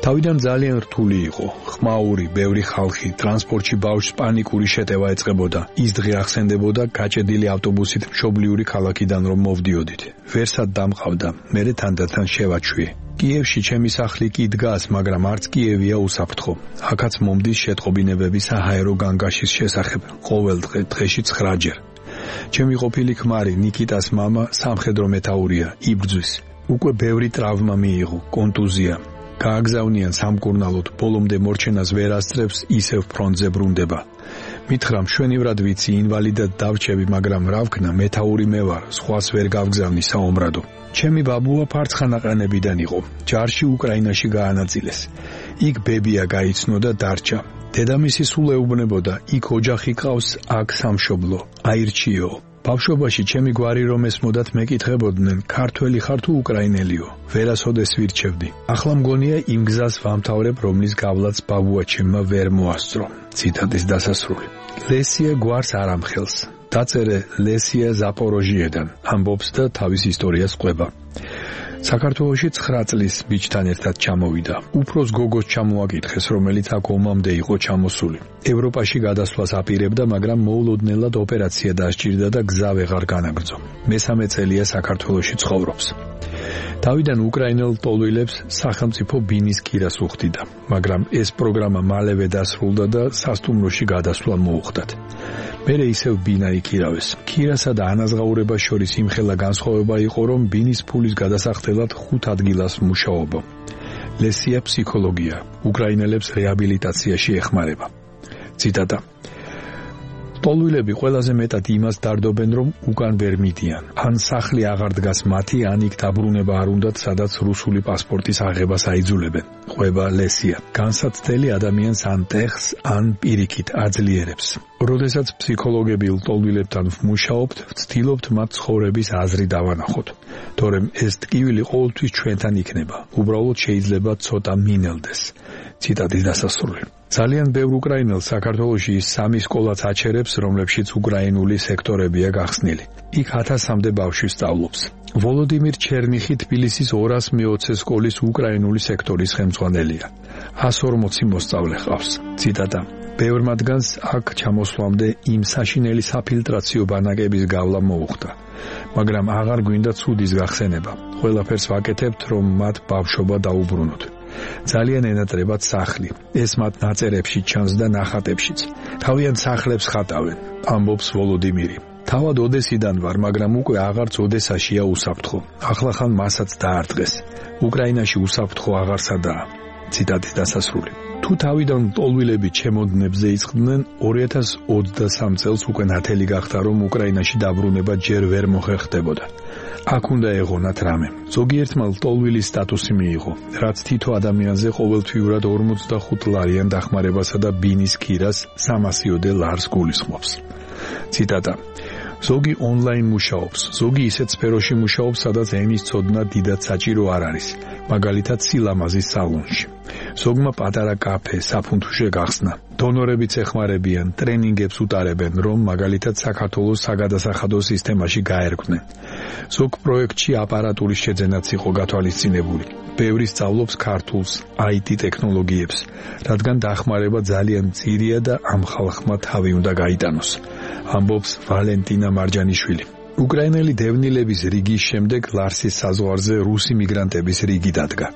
თავიდან ძალიან რთული იყო, ხმაური, ბევრი ხალხი, ტრანსპორტში ბავშვს პანიკური შეტევა ეწყებოდა, ის დღე ახსენდებოდა გაჭედილი ავტობუსით მშობლიური ქალაქიდან რომ მოვდიოდით. ვერსად დამყავდა, მერე თანდათან შევაჩვიე. კიევში ჩემი სახლი კი დგას, მაგრამ არც კიევია უსაფრთხო. აქაც მომდის შეტყობინებები საჰაერო განგაშის შესახებ, ყოველ დღე დღეში ცხრაჯერ. ჩემი ყოფილი ქმარი, ნიკიტას მამა, სამხედრო მეთაურია, იბრძვის. უკვე ბევრი ტრავმა მიიღო, კონტუზია. გააგზავნიან სამკურნალოდ, ბოლომდე მორჩენას ვერ ასწრებს, ისევ ფრონტზე ბრუნდება. მითხრა მშვენივრად ვიცი, ინვალიდად დავჩები, მაგრამ რა ვქნა, მეთაური მე ვარ, სხვას ვერ გავგზავნი საომრადო. ჩემი ბაბუა ფარცხანაყანებიდან იყო, ჯარში უკრაინაში გაანაწილეს. იქ ბებია გაიცნო და დარჩა. დედამისი სულ ეუბნებოდა, იქ ოჯახი ყავს, აქ სამშობლო, აირჩიო. ბავშვობაში ჩემი გვარი რომ ესმოდათ მეკითხებოდნენ, ქართველი ხარ თუ უკრაინელიო, ვერასოდეს ვირჩევდი. ახლა მგონია იმ გზას ვამთავრებ, რომლის გავლაც ბაბუა ჩემმა ვერ მოასწრო. ციტატის დასასრული. ლესია გვარს არ ამხელს. დაწერე ლესია ზაპოროჟიედან, ამბობს და თავის ისტორიას ყვება. საქართველოში ცხრა წლის ბიჭთან ერთად ჩამოვიდა. უფროს გოგოს ჩამოაკითხეს, რომელიც აქ ომამდე იყო ჩამოსული. ევროპაში გადასვლას აპირებდა, მაგრამ მოულოდნელად ოპერაცია დასჭირდა და გზა ვეღარ განაგრძო. მესამე წელია საქართველოში ცხოვრობს. თავიდან უკრაინელ ტოლვილებს სახელმწიფო ბინის ქირას უხდიდა, მაგრამ ეს პროგრამა მალევე დასრულდა და სასტუმროში გადასვლა მოუხდათ. მერე ისევ ბინა იქირავეს. ქირასა და ანაზღაურებას შორის იმხელა განსხვავება იყო, რომ ბინის ფულის გადასახდელად ხუთ ადგილას მუშაობა. ლესია ფსიქოლოგია, უკრაინელებს რეაბილიტაციაში ეხმარება. ციტატა. ტოლვილები ყველაზე მეტად იმას დარდობენ, რომ უკან ვერ მიდიან. ან სახლი აღარ დგას მათი, ან იქ დაბრუნება არ უნდათ, სადაც რუსული პასპორტის აღებას აიძულებენ. ყვება ლესია. განსაცდელი ადამიანს ან ტეხს, ან პირიქით აძლიერებს. როდესაც ფსიქოლოგები ტოლვილებთან ვმუშაობთ, ვცდილობთ მათ ცხოვრების აზრი დავანახოთ. თორემ ეს ტკივილი ყოველთვის ჩვენთან იქნება. უბრალოდ შეიძლება ცოტა მინელდეს. ციტატის დასასრული. ძალიან ბევრ უკრაინელს საქართველოში სამი სკოლაც აჩერებს, რომლებშიც უკრაინული სექტორებია გახსნილი. იქ ათასამდე ბავშვი სწავლობს. ვოლოდიმირ ჩერნიხი თბილისის ორას მეოცე სკოლის უკრაინული სექტორის ხელმძღვანელია. ათას ორმოცი მოსწავლე ყავს. ციტატა. ბევრ მათგანს აქ ჩამოსვლამდე იმ საშინელი საფილტრაციო ბანაკების გავლა მოუხდა. მაგრამ აღარ გვინდა ცუდის გახსენება. ყველაფერს ვაკეთებთ, რომ მათ ბავშვობა დაუბრუნოთ. ძალიან ენატრებათ სახლი. ეს მათ ნაწერებში ჩანს და ნახატებშიც. თავიანთ სახლებს ხატავენ, ამბობს ვოლოდიმირი. თავად ოდესიდან ვარ, მაგრამ უკვე აღარც ოდესაშია უსაფრთხო. ახლახან მასაც დაარტყეს. უკრაინაში უსაფრთხო აღარსადაა. ციტატის დასასრული. თუ თავიდან ტოლვილები ჩემოდნებზე იწყდნენ, ორი ათას ოცდასამ წელს უკვე ნათელი გახდა, რომ უკრაინაში დაბრუნება ჯერ ვერ მოხერხდებოდა. აქ უნდა ეღონათ რამე. ზოგიერთმა ტოლვილის სტატუსი მიიღო, რაც თითო ადამიანზე ყოველთვიურად ორმოცდახუთ ლარიან დახმარებასა და ბინის ქირას სამასიოდე ლარს გულისხმობს. ციტატა. ზოგი ონლაინ მუშაობს, ზოგი ისეთ სფეროში მუშაობს, სადაც ენის ცოდნა დიდად საჭირო არ არის, მაგალითად სილამაზის სალონში. ზოგმა პატარა კაფე, საფუნთუშე გახსნა. დონორებიც ეხმარებიან, ტრენინგებს უტარებენ, რომ მაგალითად საქართველოს საგადასახადო სისტემაში გაერკვნენ. ზოგ პროექტში აპარატურის შეძენაც იყო გათვალისწინებული. ბევრი სწავლობს ქართულს, აი ტი ტექნოლოგიებს, რადგან დახმარება ძალიან მწირია და ამ ხალხმა თავი უნდა გაიტანოს. ამბობს ვალენტინა მარჯანიშვილი. უკრაინელი დევნილების რიგის შემდეგ ლარსის საზღვარზე რუსი მიგრანტების რიგი დადგა.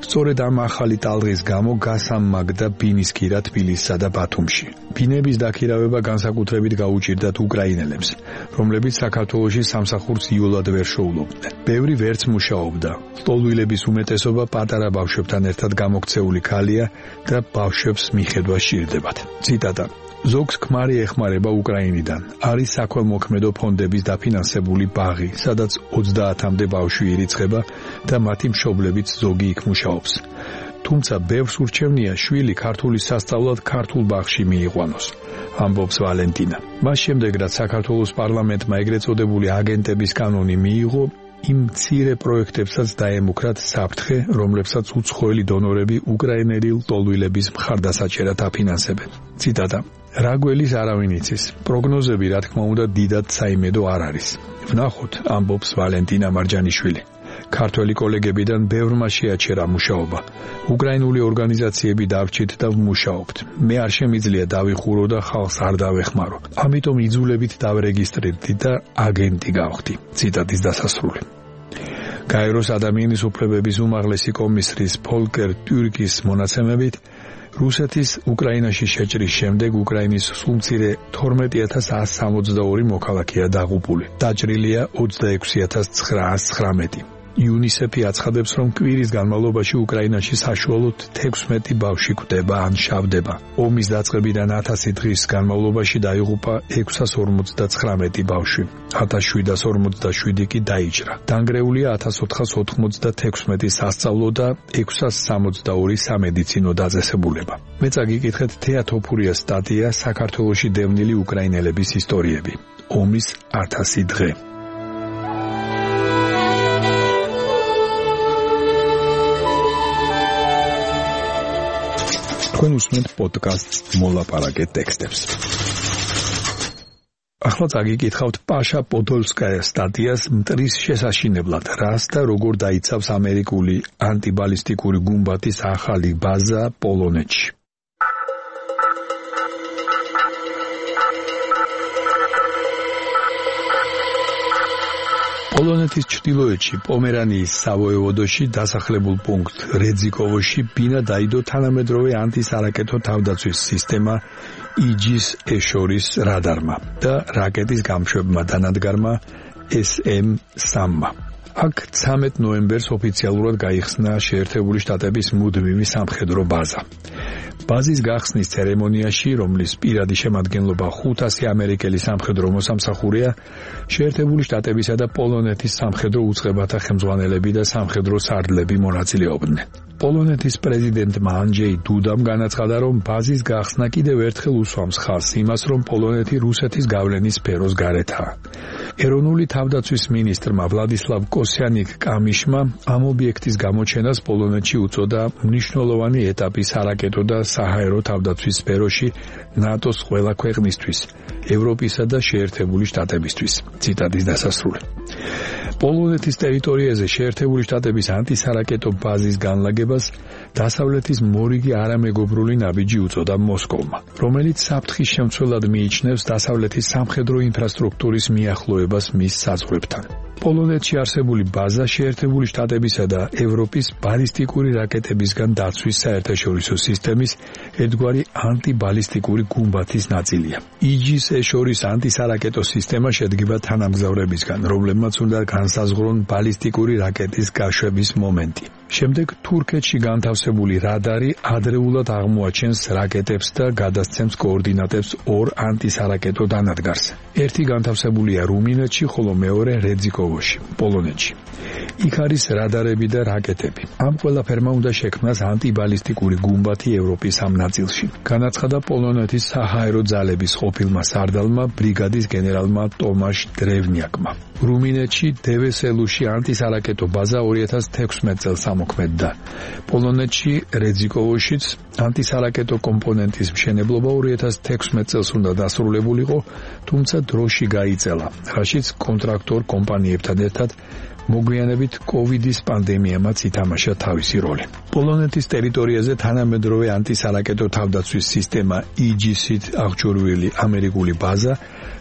სწორედ ამ ახალი ტალღის გამო გასამაგდა ბინის ქირა თბილისსა და ბათუმში. ბინების დაქირავება განსაკუთრებით გაუჭირდათ უკრაინელებს, რომლებიც საქართველოში სამსახურს იოლად ვერ შოულობდნენ. ბევრი ვერც მუშაობდა. ტოლვილების უმეტესობა პატარა ბავშვებთან ერთად გამოქცეული ქალია და ბავშვებს მიხედვა სჭირდებათ. ციტატა. ზოგს ქმარი ეხმარება უკრაინიდან. არის საქველმოქმედო ფონდების დაფინანსებული ბაღი, სადაც ოცდაათამდე ბავშვი ირიცხება და მათი მშობლებიც ზოგი იქ მუშაობს. თუმცა ბევრს ურჩევნია შვილი ქართულის სასწავლად ქართულ ბაღში მიიყვანოს, ამბობს ვალენტინა. მას შემდეგ, რაც საქართველოს პარლამენტმა ეგრეთ წოდებული აგენტების კანონი მიიღო, იმ მცირე პროექტებსაც დაემუქრათ საფრთხე, რომლებსაც უცხოელი დონორები უკრაინელი ტოლვილების მხარდასაჭერად აფინანსებენ. ციტატა. რა გველის არავინ იცის. პროგნოზები, რა თქმა უნდა, დიდად საიმედო არ არის. ვნახოთ, ამბობს ვალენტინა მარჯანიშვილი. ქართველი კოლეგებიდან ბევრმა შეაჩერა მუშაობა. უკრაინული ორგანიზაციები დავრჩით და ვმუშაობთ. მე არ შემიძლია დავიხურო და ხალხს არ დავეხმარო. ამიტომ იძულებით დავრეგისტრირდი და აგენტი გავხდი. ციტატის დასასრული. გაეროს ადამიანის უფლებების უმაღლესი კომისრის ფოლკერ ტურკის მონაცემებით რუსეთის უკრაინაში შეჭრის შემდეგ უკრაინის სულმცირე თორმეტი ათას εκατს სამოცდაორი მოქალაქეა დაღუპული. დაჭრილია ოცდაექვსი ათას ცხრაას ცხრამეტი. იუნისეფი აცხადებს, რომ კვირის განმავლობაში უკრაინაში საშუალოდ თექვსმეტი ბავშვი კვდება ან შავდება. ომის დაწყებიდან ათასი დღის განმავლობაში დაიღუპა ექვსას ორმოცდაცხრამეტი ბავშვი. ათას შვიდას ორმოცდაშვიდი კი დაიჭრა. დანგრეულია ათას ოთხას ოთხმოცდათექვსმეტი სასწავლო და ექვსას სამოცდაორი სამედიცინო დაწესებულება. მე წაგიკითხეთ თეატოფურიას სტატია საქართველოში დევნილი უკრაინელების ისტორიები. ომის ათასი დღე. თქვენ უსმენთ პოდკასტს მოლაპარაკე ტექსტებს. ახლა წაგიკითხავთ პაშა პოდოლსკაიას სტატიას მტრის შესაშინებლად, რას და როგორ დაიცავს ამერიკული ანტიბალისტიკური გუმბათის ახალი ბაზა პოლონეთში. პოლონეთის ჩრდილოეთში პომერანიის სავოევოდოში დასახლებულ პუნქტ რეძიკოვოში ბინა დაიდო თანამედროვე ანტისარაკეტო თავდაცვის სისტემა ი-ჯის ეშორის რადარმა და რაკეტის გამშვებმა დანადგარმა ეს ემ სამმა. აქ ცამეტ ნოემბერს ოფიციალურად გაიხსნა შეერთებული შტატების მუდმივი სამხედრო ბაზა. ბაზის გახსნის ცერემონიაში, რომლის პირადი შემადგენლობა ხუთასი ამერიკელი სამხედრო მოსამსახურეა, შეერთებული შტატებისა და პოლონეთის სამხედრო უწყებათა ხელმძღვანელები და სამხედრო სარდლები მონაწილეობდნენ. პოლონეთის პრეზიდენტმა ანჯეი დუდამ განაცხადა, რომ ბაზის გახსნა კიდევ ერთხელ უსვამს ხაზს იმას, რომ პოლონეთი რუსეთის გავლენის სფეროს გარეთაა. ეროვნული თავდაცვის მინისტრმა ვლადისლავ კოსიანიკ კამიშმა ამ ობიექტის გამოჩენას პოლონეთში უწოდა მნიშვნელოვანი ეტაპი სარაკეტო და საჰაერო თავდაცვის სფეროში ნატოს ყველა ქვეყნისთვის, ევროპისა და შეერთებული შტატებისთვის. ციტატის დასასრული. პოლონეთის ტერიტორიაზე შეერთებული შტატების ანტისარაკეტო ბაზის განლაგებას დასავლეთის მორიგი არამეგობრული ნაბიჯი უწოდა მოსკოვმა, რომელიც საფრთხის შემცველად მიიჩნევს დასავლეთის სამხედრო ინფრასტრუქტურის მიახლოებას მის საზღვრებთან. პოლონეთში არსებული ბაზა შეერთებული შტატებისა და ევროპის ბალისტიკური რაკეტებისგან დაცვის საერთაშორისო სისტემის ერთგვარი ანტიბალისტიკური გუმბათის ნაწილია. ი-ჯის ეშორის ანტისარაკეტო სისტემა შედგება თანამგზავრებისგან, რომლებმაც უნდა განსაზღვრონ ბალისტიკური რაკეტის გაშვების მომენტი. შემდეგ თურქეთში განთავსებული რადარი ადრეულად აღმოაჩენს რაკეტებს და გადასცემს კოორდინატებს ორ ანტისარაკეტო დანადგარს. ერთი განთავსებულია რუმინეთში, ხოლო მეორე რეძიკოვოში, პოლონეთში. იქ არის რადარები და რაკეტები. ამ ყველაფერმა უნდა შექმნას ანტიბალისტიკური გუმბათი ევროპის ამ ნაწილში. განაცხადა პოლონეთის საჰაერო ძალების ყოფილმა სარდალმა ბრიგადის გენერალმა ტომაშ დრევნიაკმა. რუმინეთში დევესელუში ანტისარაკეტო ბაზა ორი ათას თექვსმეტ წელს ამოქმედდა. პოლონეთში რეძიკოვოშიც ანტისარაკეტო კომპონენტის მშენებლობა ორი ათას თექვსმეტ წელს უნდა დასრულებულიყო, თუმცა დროში გაიწელა, რაშიც კონტრაქტორ კომპანიებთან ერთად მოგვიანებით კოვიდის პანდემიამაც ითამაშა თავისი როლი. პოლონეთის ტერიტორიაზე თანამედროვე ანტისარაკეტო თავდაცვის სისტემა ი-ჯისით აღჭურვილი ამერიკული ბაზა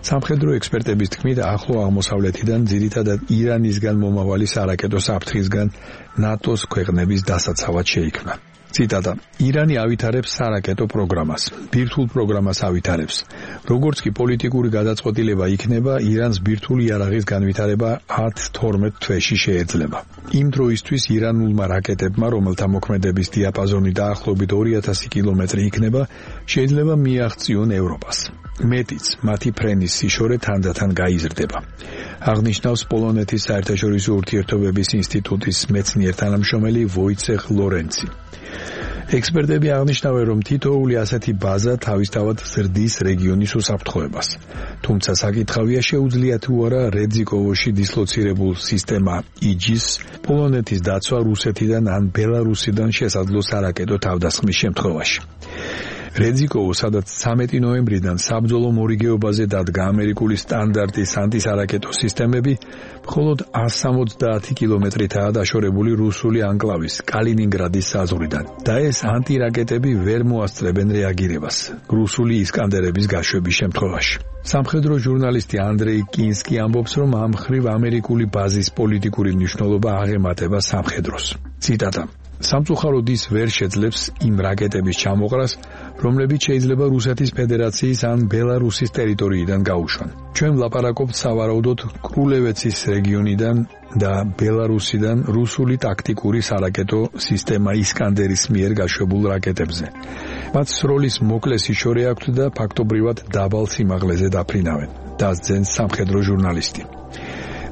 სამხედრო ექსპერტების თქმით ახლო აღმოსავლეთიდან ძირითადად ირანისგან მომავალი სარაკეტო საფრთხისგან ნატოს ქვეყნების დასაცავად შეიქმნა. ციტატა: ირანი ავითარებს სარაკეტო პროგრამას, ბირთვულ პროგრამას ავითარებს. როგორც კი პოლიტიკური გადაწყვეტილება იქნება, ირანს ბირთვული იარაღის განვითარება ათ თორმეტ თვეში შეეძლება. იმ დროისთვის ირანულმა რაკეტებმა, რომელთა მოქმედების დიაპაზონი დაახლოებით ორი ათასი კილომეტრი იქნება, შეიძლება მიაღწიონ ევროპას. მეტიც, მათი ფრენის სიშორე თანდათან გაიზრდება. აღნიშნავს პოლონეთის საერთაშორისო ურთიერთობების ინსტიტუტის მეცნიერ-თანამშრომელი ვოიცეხ ლორენცი. ექსპერტები აღნიშნავენ, რომ თითოეული ასეთი ბაზა თავისთავად ზრდის რეგიონის უსაფრთხოებას. თუმცა საკითხავია, შეუძლია თუ არა რეძიკოვოში დისლოცირებულ სისტემა ი-ჯის პოლონეთის დაცვა რუსეთიდან ან ბელარუსიდან შესაძლო სარაკეტო თავდასხმის შემთხვევაში. რედზიკოვო, სადაც ცამეტი ნოემბრიდან საბრძოლო მორიგეობაზე დადგა ამერიკული სტანდარტის ანტისარაკეტო სისტემები, მხოლოდ ასამოცდაათი კილომეტრითაა დაშორებული რუსული ანკლავის კალინინგრადის საზღვრიდან და ეს ანტირაკეტები ვერ მოასწრებენ რეაგირებას რუსული ისკანდერების გაშვების შემთხვევაში. სამხედრო ჟურნალისტი ანდრეი კინსკი ამბობს, რომ ამ მხრივ ამერიკული ბაზის პოლიტიკური მნიშვნელობა აღემატება სამხედროს. ციტატა: სამწუხაროდ ის ვერ შეძლებს იმ რაკეტების ჩამოყრას, რომლებიც შეიძლება რუსეთის ფედერაციის ან ბელარუსის ტერიტორიიდან გაუშვან. ჩვენ ვლაპარაკობთ სავარაუდოდ კრულევეცის რეგიონიდან და ბელარუსიდან რუსული ტაქტიკური სარაკეტო სისტემა ისკანდერის მიერ გაშვებულ რაკეტებზე. მათ სროლის მოკლესი შორი აქვთ და ფაქტობრივად დაბალ სიმაღლეზე დაფრინავენ, დასძენს სამხედრო ჟურნალისტი.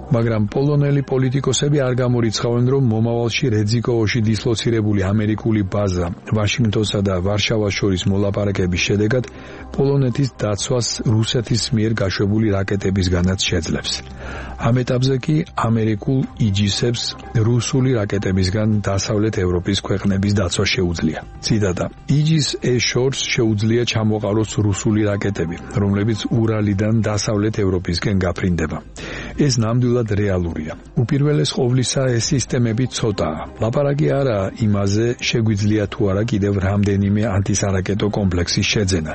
მაგრამ პოლონელი პოლიტიკოსები არ გამორიცხავენ, რომ მომავალში რედზიკოვოში დისლოცირებული ამერიკული ბაზა ვაშინგტონსა და ვარშავას შორის მოლაპარაკების შედეგად პოლონეთის დაცვას რუსეთის მიერ გაშვებული რაკეტებისგანაც შეძლებს. ამ ეტაპზე კი ამერიკულ იჯისებს რუსული რაკეტებისგან დასავლეთ ევროპის ქვეყნების დაცვა შეუძლია. ციტატა: იჯის ეშორს შეუძლია ჩამოყაროს რუსული რაკეტები, რომლებიც ურალიდან დასავლეთ ევროპისკენ გაფრინდება. ეს ნამდვილად რეალურია. უპირველეს ყოვლისა ეს სისტემები ცოტაა. ლაპარაკი არაა იმაზე, შეგვიძლია თუ არა კიდევ რამდენიმე ანტისარაკეტო კომპლექსის შეძენა,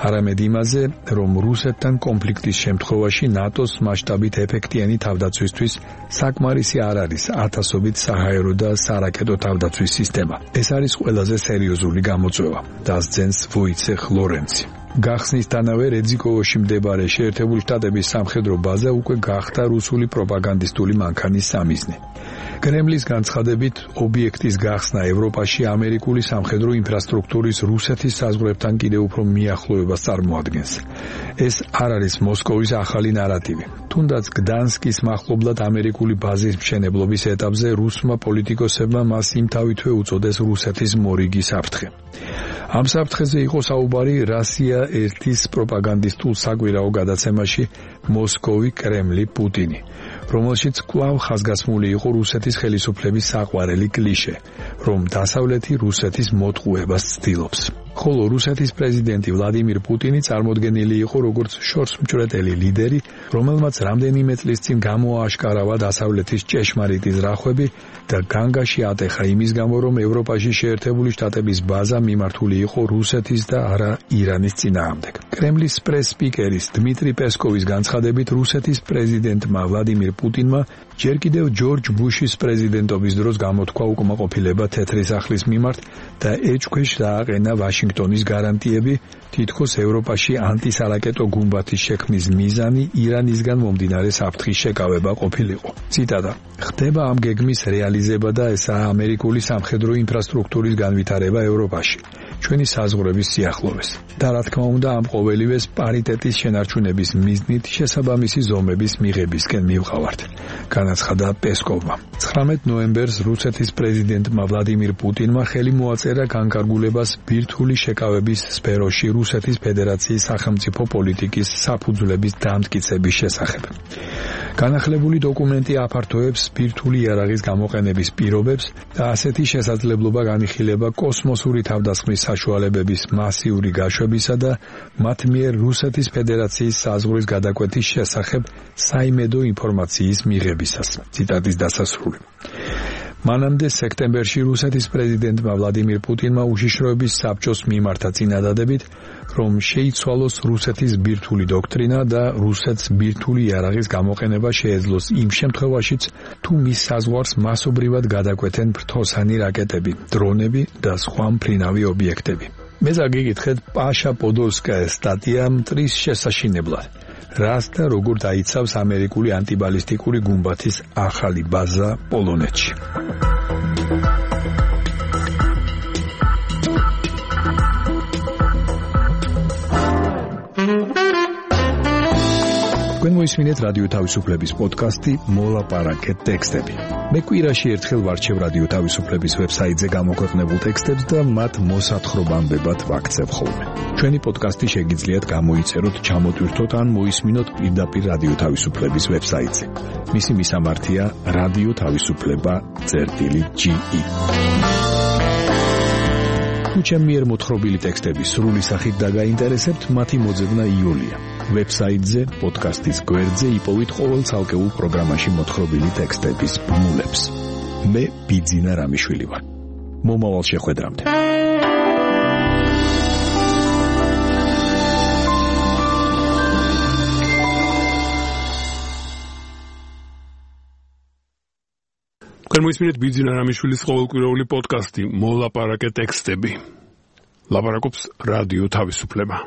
არამედ იმაზე, რომ რუსეთთან კონფლიქტის შემთხვევაში ნატოს მასშტაბით ეფექტიანი თავდაცვისთვის საკმარისი არ არის ათასობით საჰაერო და სარაკეტო თავდაცვის სისტემა. ეს არის ყველაზე სერიოზული გამოწვევა, დასძენს ვოიცეხ ლორენცი. გახსნისთანავე რედზიკოვოში მდებარე შეერთებული შტატების სამხედრო ბაზა უკვე გახდა რუსული პროპაგანდისტული მანქანის სამიზნე. კრემლის განცხადებით, ობიექტის გახსნა ევროპაში ამერიკული სამხედრო ინფრასტრუქტურის რუსეთის საზღვრებთან კიდევ უფრო მიახლოებას წარმოადგენს. ეს არ არის მოსკოვის ახალი ნარატივი. თუნდაც გდანსკის მახლობლად ამერიკული ბაზის მშენებლობის ეტაპზე რუსმა პოლიტიკოსებმა მას იმთავითვე უწოდეს რუსეთის მორიგი საფრთხე. ამ საფრთხეზე იყო საუბარი რასია ერთის პროპაგანდისტულ საკვირაო გადაცემაში მოსკოვი, კრემლი, პუტინი, რომელშიც კვლავ ხაზგასმული იყო რუსეთის ხელისუფლების საყვარელი კლიშე, რომ დასავლეთი რუსეთის მოტყუებას ცდილობს. ხოლო რუსეთის პრეზიდენტი ვლადიმირ პუტინი წარმოდგენილი იყო როგორც შორსმჭრეტელი ლიდერი, რომელმაც რამდენიმე წლის წინ გამოააშკარავა დასავლეთის ჭეშმარიტი ზრახვები და განგაში ატეხა იმის გამო, რომ ევროპაში შეერთებული შტატების ბაზა მიმართული იყო რუსეთის და არა ირანის წინააღმდეგ. კრემლის პრეს-სპიკერის დმიტრი პესკოვის განცხადებით, რუსეთის პრეზიდენტმა ვლადიმირ პუტინმა ჯერ კიდევ ჯორჯ ბუშის პრეზიდენტობის დროს გამოთქვა უკმაყოფილება თეთრი სახლის მიმართ და ეჭქვეშ დააყენა ვაშინგტონის გარანტიები, თითქოს ევროპაში ანტისარაკეტო გუმბათის შექმნის მიზანი ირანისგან მომდინარე საფრთხის შეკავება ყოფილიყო. ციტატა: ხდება ამ გეგმის რეალიზება და ესაა ამერიკული სამხედრო ინფრასტრუქტურის განვითარება ევროპაში, ჩვენი საზღვრების სიახლოვეს. და რა თქმა უნდა, ამ ყოველივეს პარიტეტის შენარჩუნების მიზნით შესაბამისი ზომების მიღებისკენ მივყავართ, განაცხადა პესკოვმა. ცხრამეტ ნოემბერს რუსეთის პრეზიდენტმა ვლადიმირ პუტინმა ხელი მოაწერა განკარგულებას ბირთვული შეკავების სფეროში რუსეთის ფედერაციის სახელმწიფო პოლიტიკის საფუძვლების დამტკიცების შესახებ. განახლებული დოკუმენტი აფართოებს ბირთვული იარაღის გამოყენების პირობებს და ასეთი შესაძლებლობა განიხილება კოსმოსური თავდასხმის საშუალებების მასიური გაშვებისა და მათ მიერ რუსეთის ფედერაციის საზღვრის გადაკვეთის შესახებ საიმედო ინფორმაციის მიღებისას. ციტატის დასასრული. მანამდე სექტემბერში რუსეთის პრეზიდენტმა ვლადიმირ პუტინმა უშიშროების საბჭოს მიმართა წინადადებით, რომ შეიცვალოს რუსეთის ბირთვული დოქტრინა და რუსეთს ბირთვული იარაღის გამოყენება შეეძლოს იმ შემთხვევაშიც, თუ მის საზღვარს მასობრივად გადაკვეთენ ფრთოსანი რაკეტები, დრონები და სხვა მფრინავი ობიექტები. მე ზაგიგითხეთ პაშა პოდოლსკაის სტატია მტრის შესაშინებლად. რას და როგორ დაიცავს ამერიკული ანტიბალისტიკური გუმბათის ახალი ბაზა პოლონეთში. თქვენ მოისმინეთ რადიო თავისუფლების პოდკასტი მოლაპარაკეთ ტექსტები. მე კვირაში ერთხელ ვარჩევ რადიო თავისუფლების ვებსაიტზე გამოქვეყნებულ ტექსტებს და მათ მოსათხრობამდე ვაქცევ ხოლმე. ჩვენი პოდკასტი შეგიძლიათ გამოიწეროთ, ჩამოტვირთოთ ან მოისმინოთ პირდაპირ რადიო თავისუფლების ვებსაიტზე. მისი მისამართია რადიო თავისუფლება წერტილი ჯი ი. თუ ჩემ მიერ მოთხრობილი ტექსტები სრული სახით დაგაინტერესებთ, მათი მოძებნა იულია. ვებსაიტზე, პოდკასტის გვერდზე იპოვით ყოველ ცალკეულ პროგრამაში მოთხრობილი ტექსტების ბმულებს. მე ბიძინა რამიშვილი ვარ. მომავალ შეხვედრამდე. გამოისმინეთ ბიძინა რამიშვილის ყოველკვირეული პოდკასტი მოლაპარაკე ტექსტები. ლაპარაკობს რადიო თავისუფლება.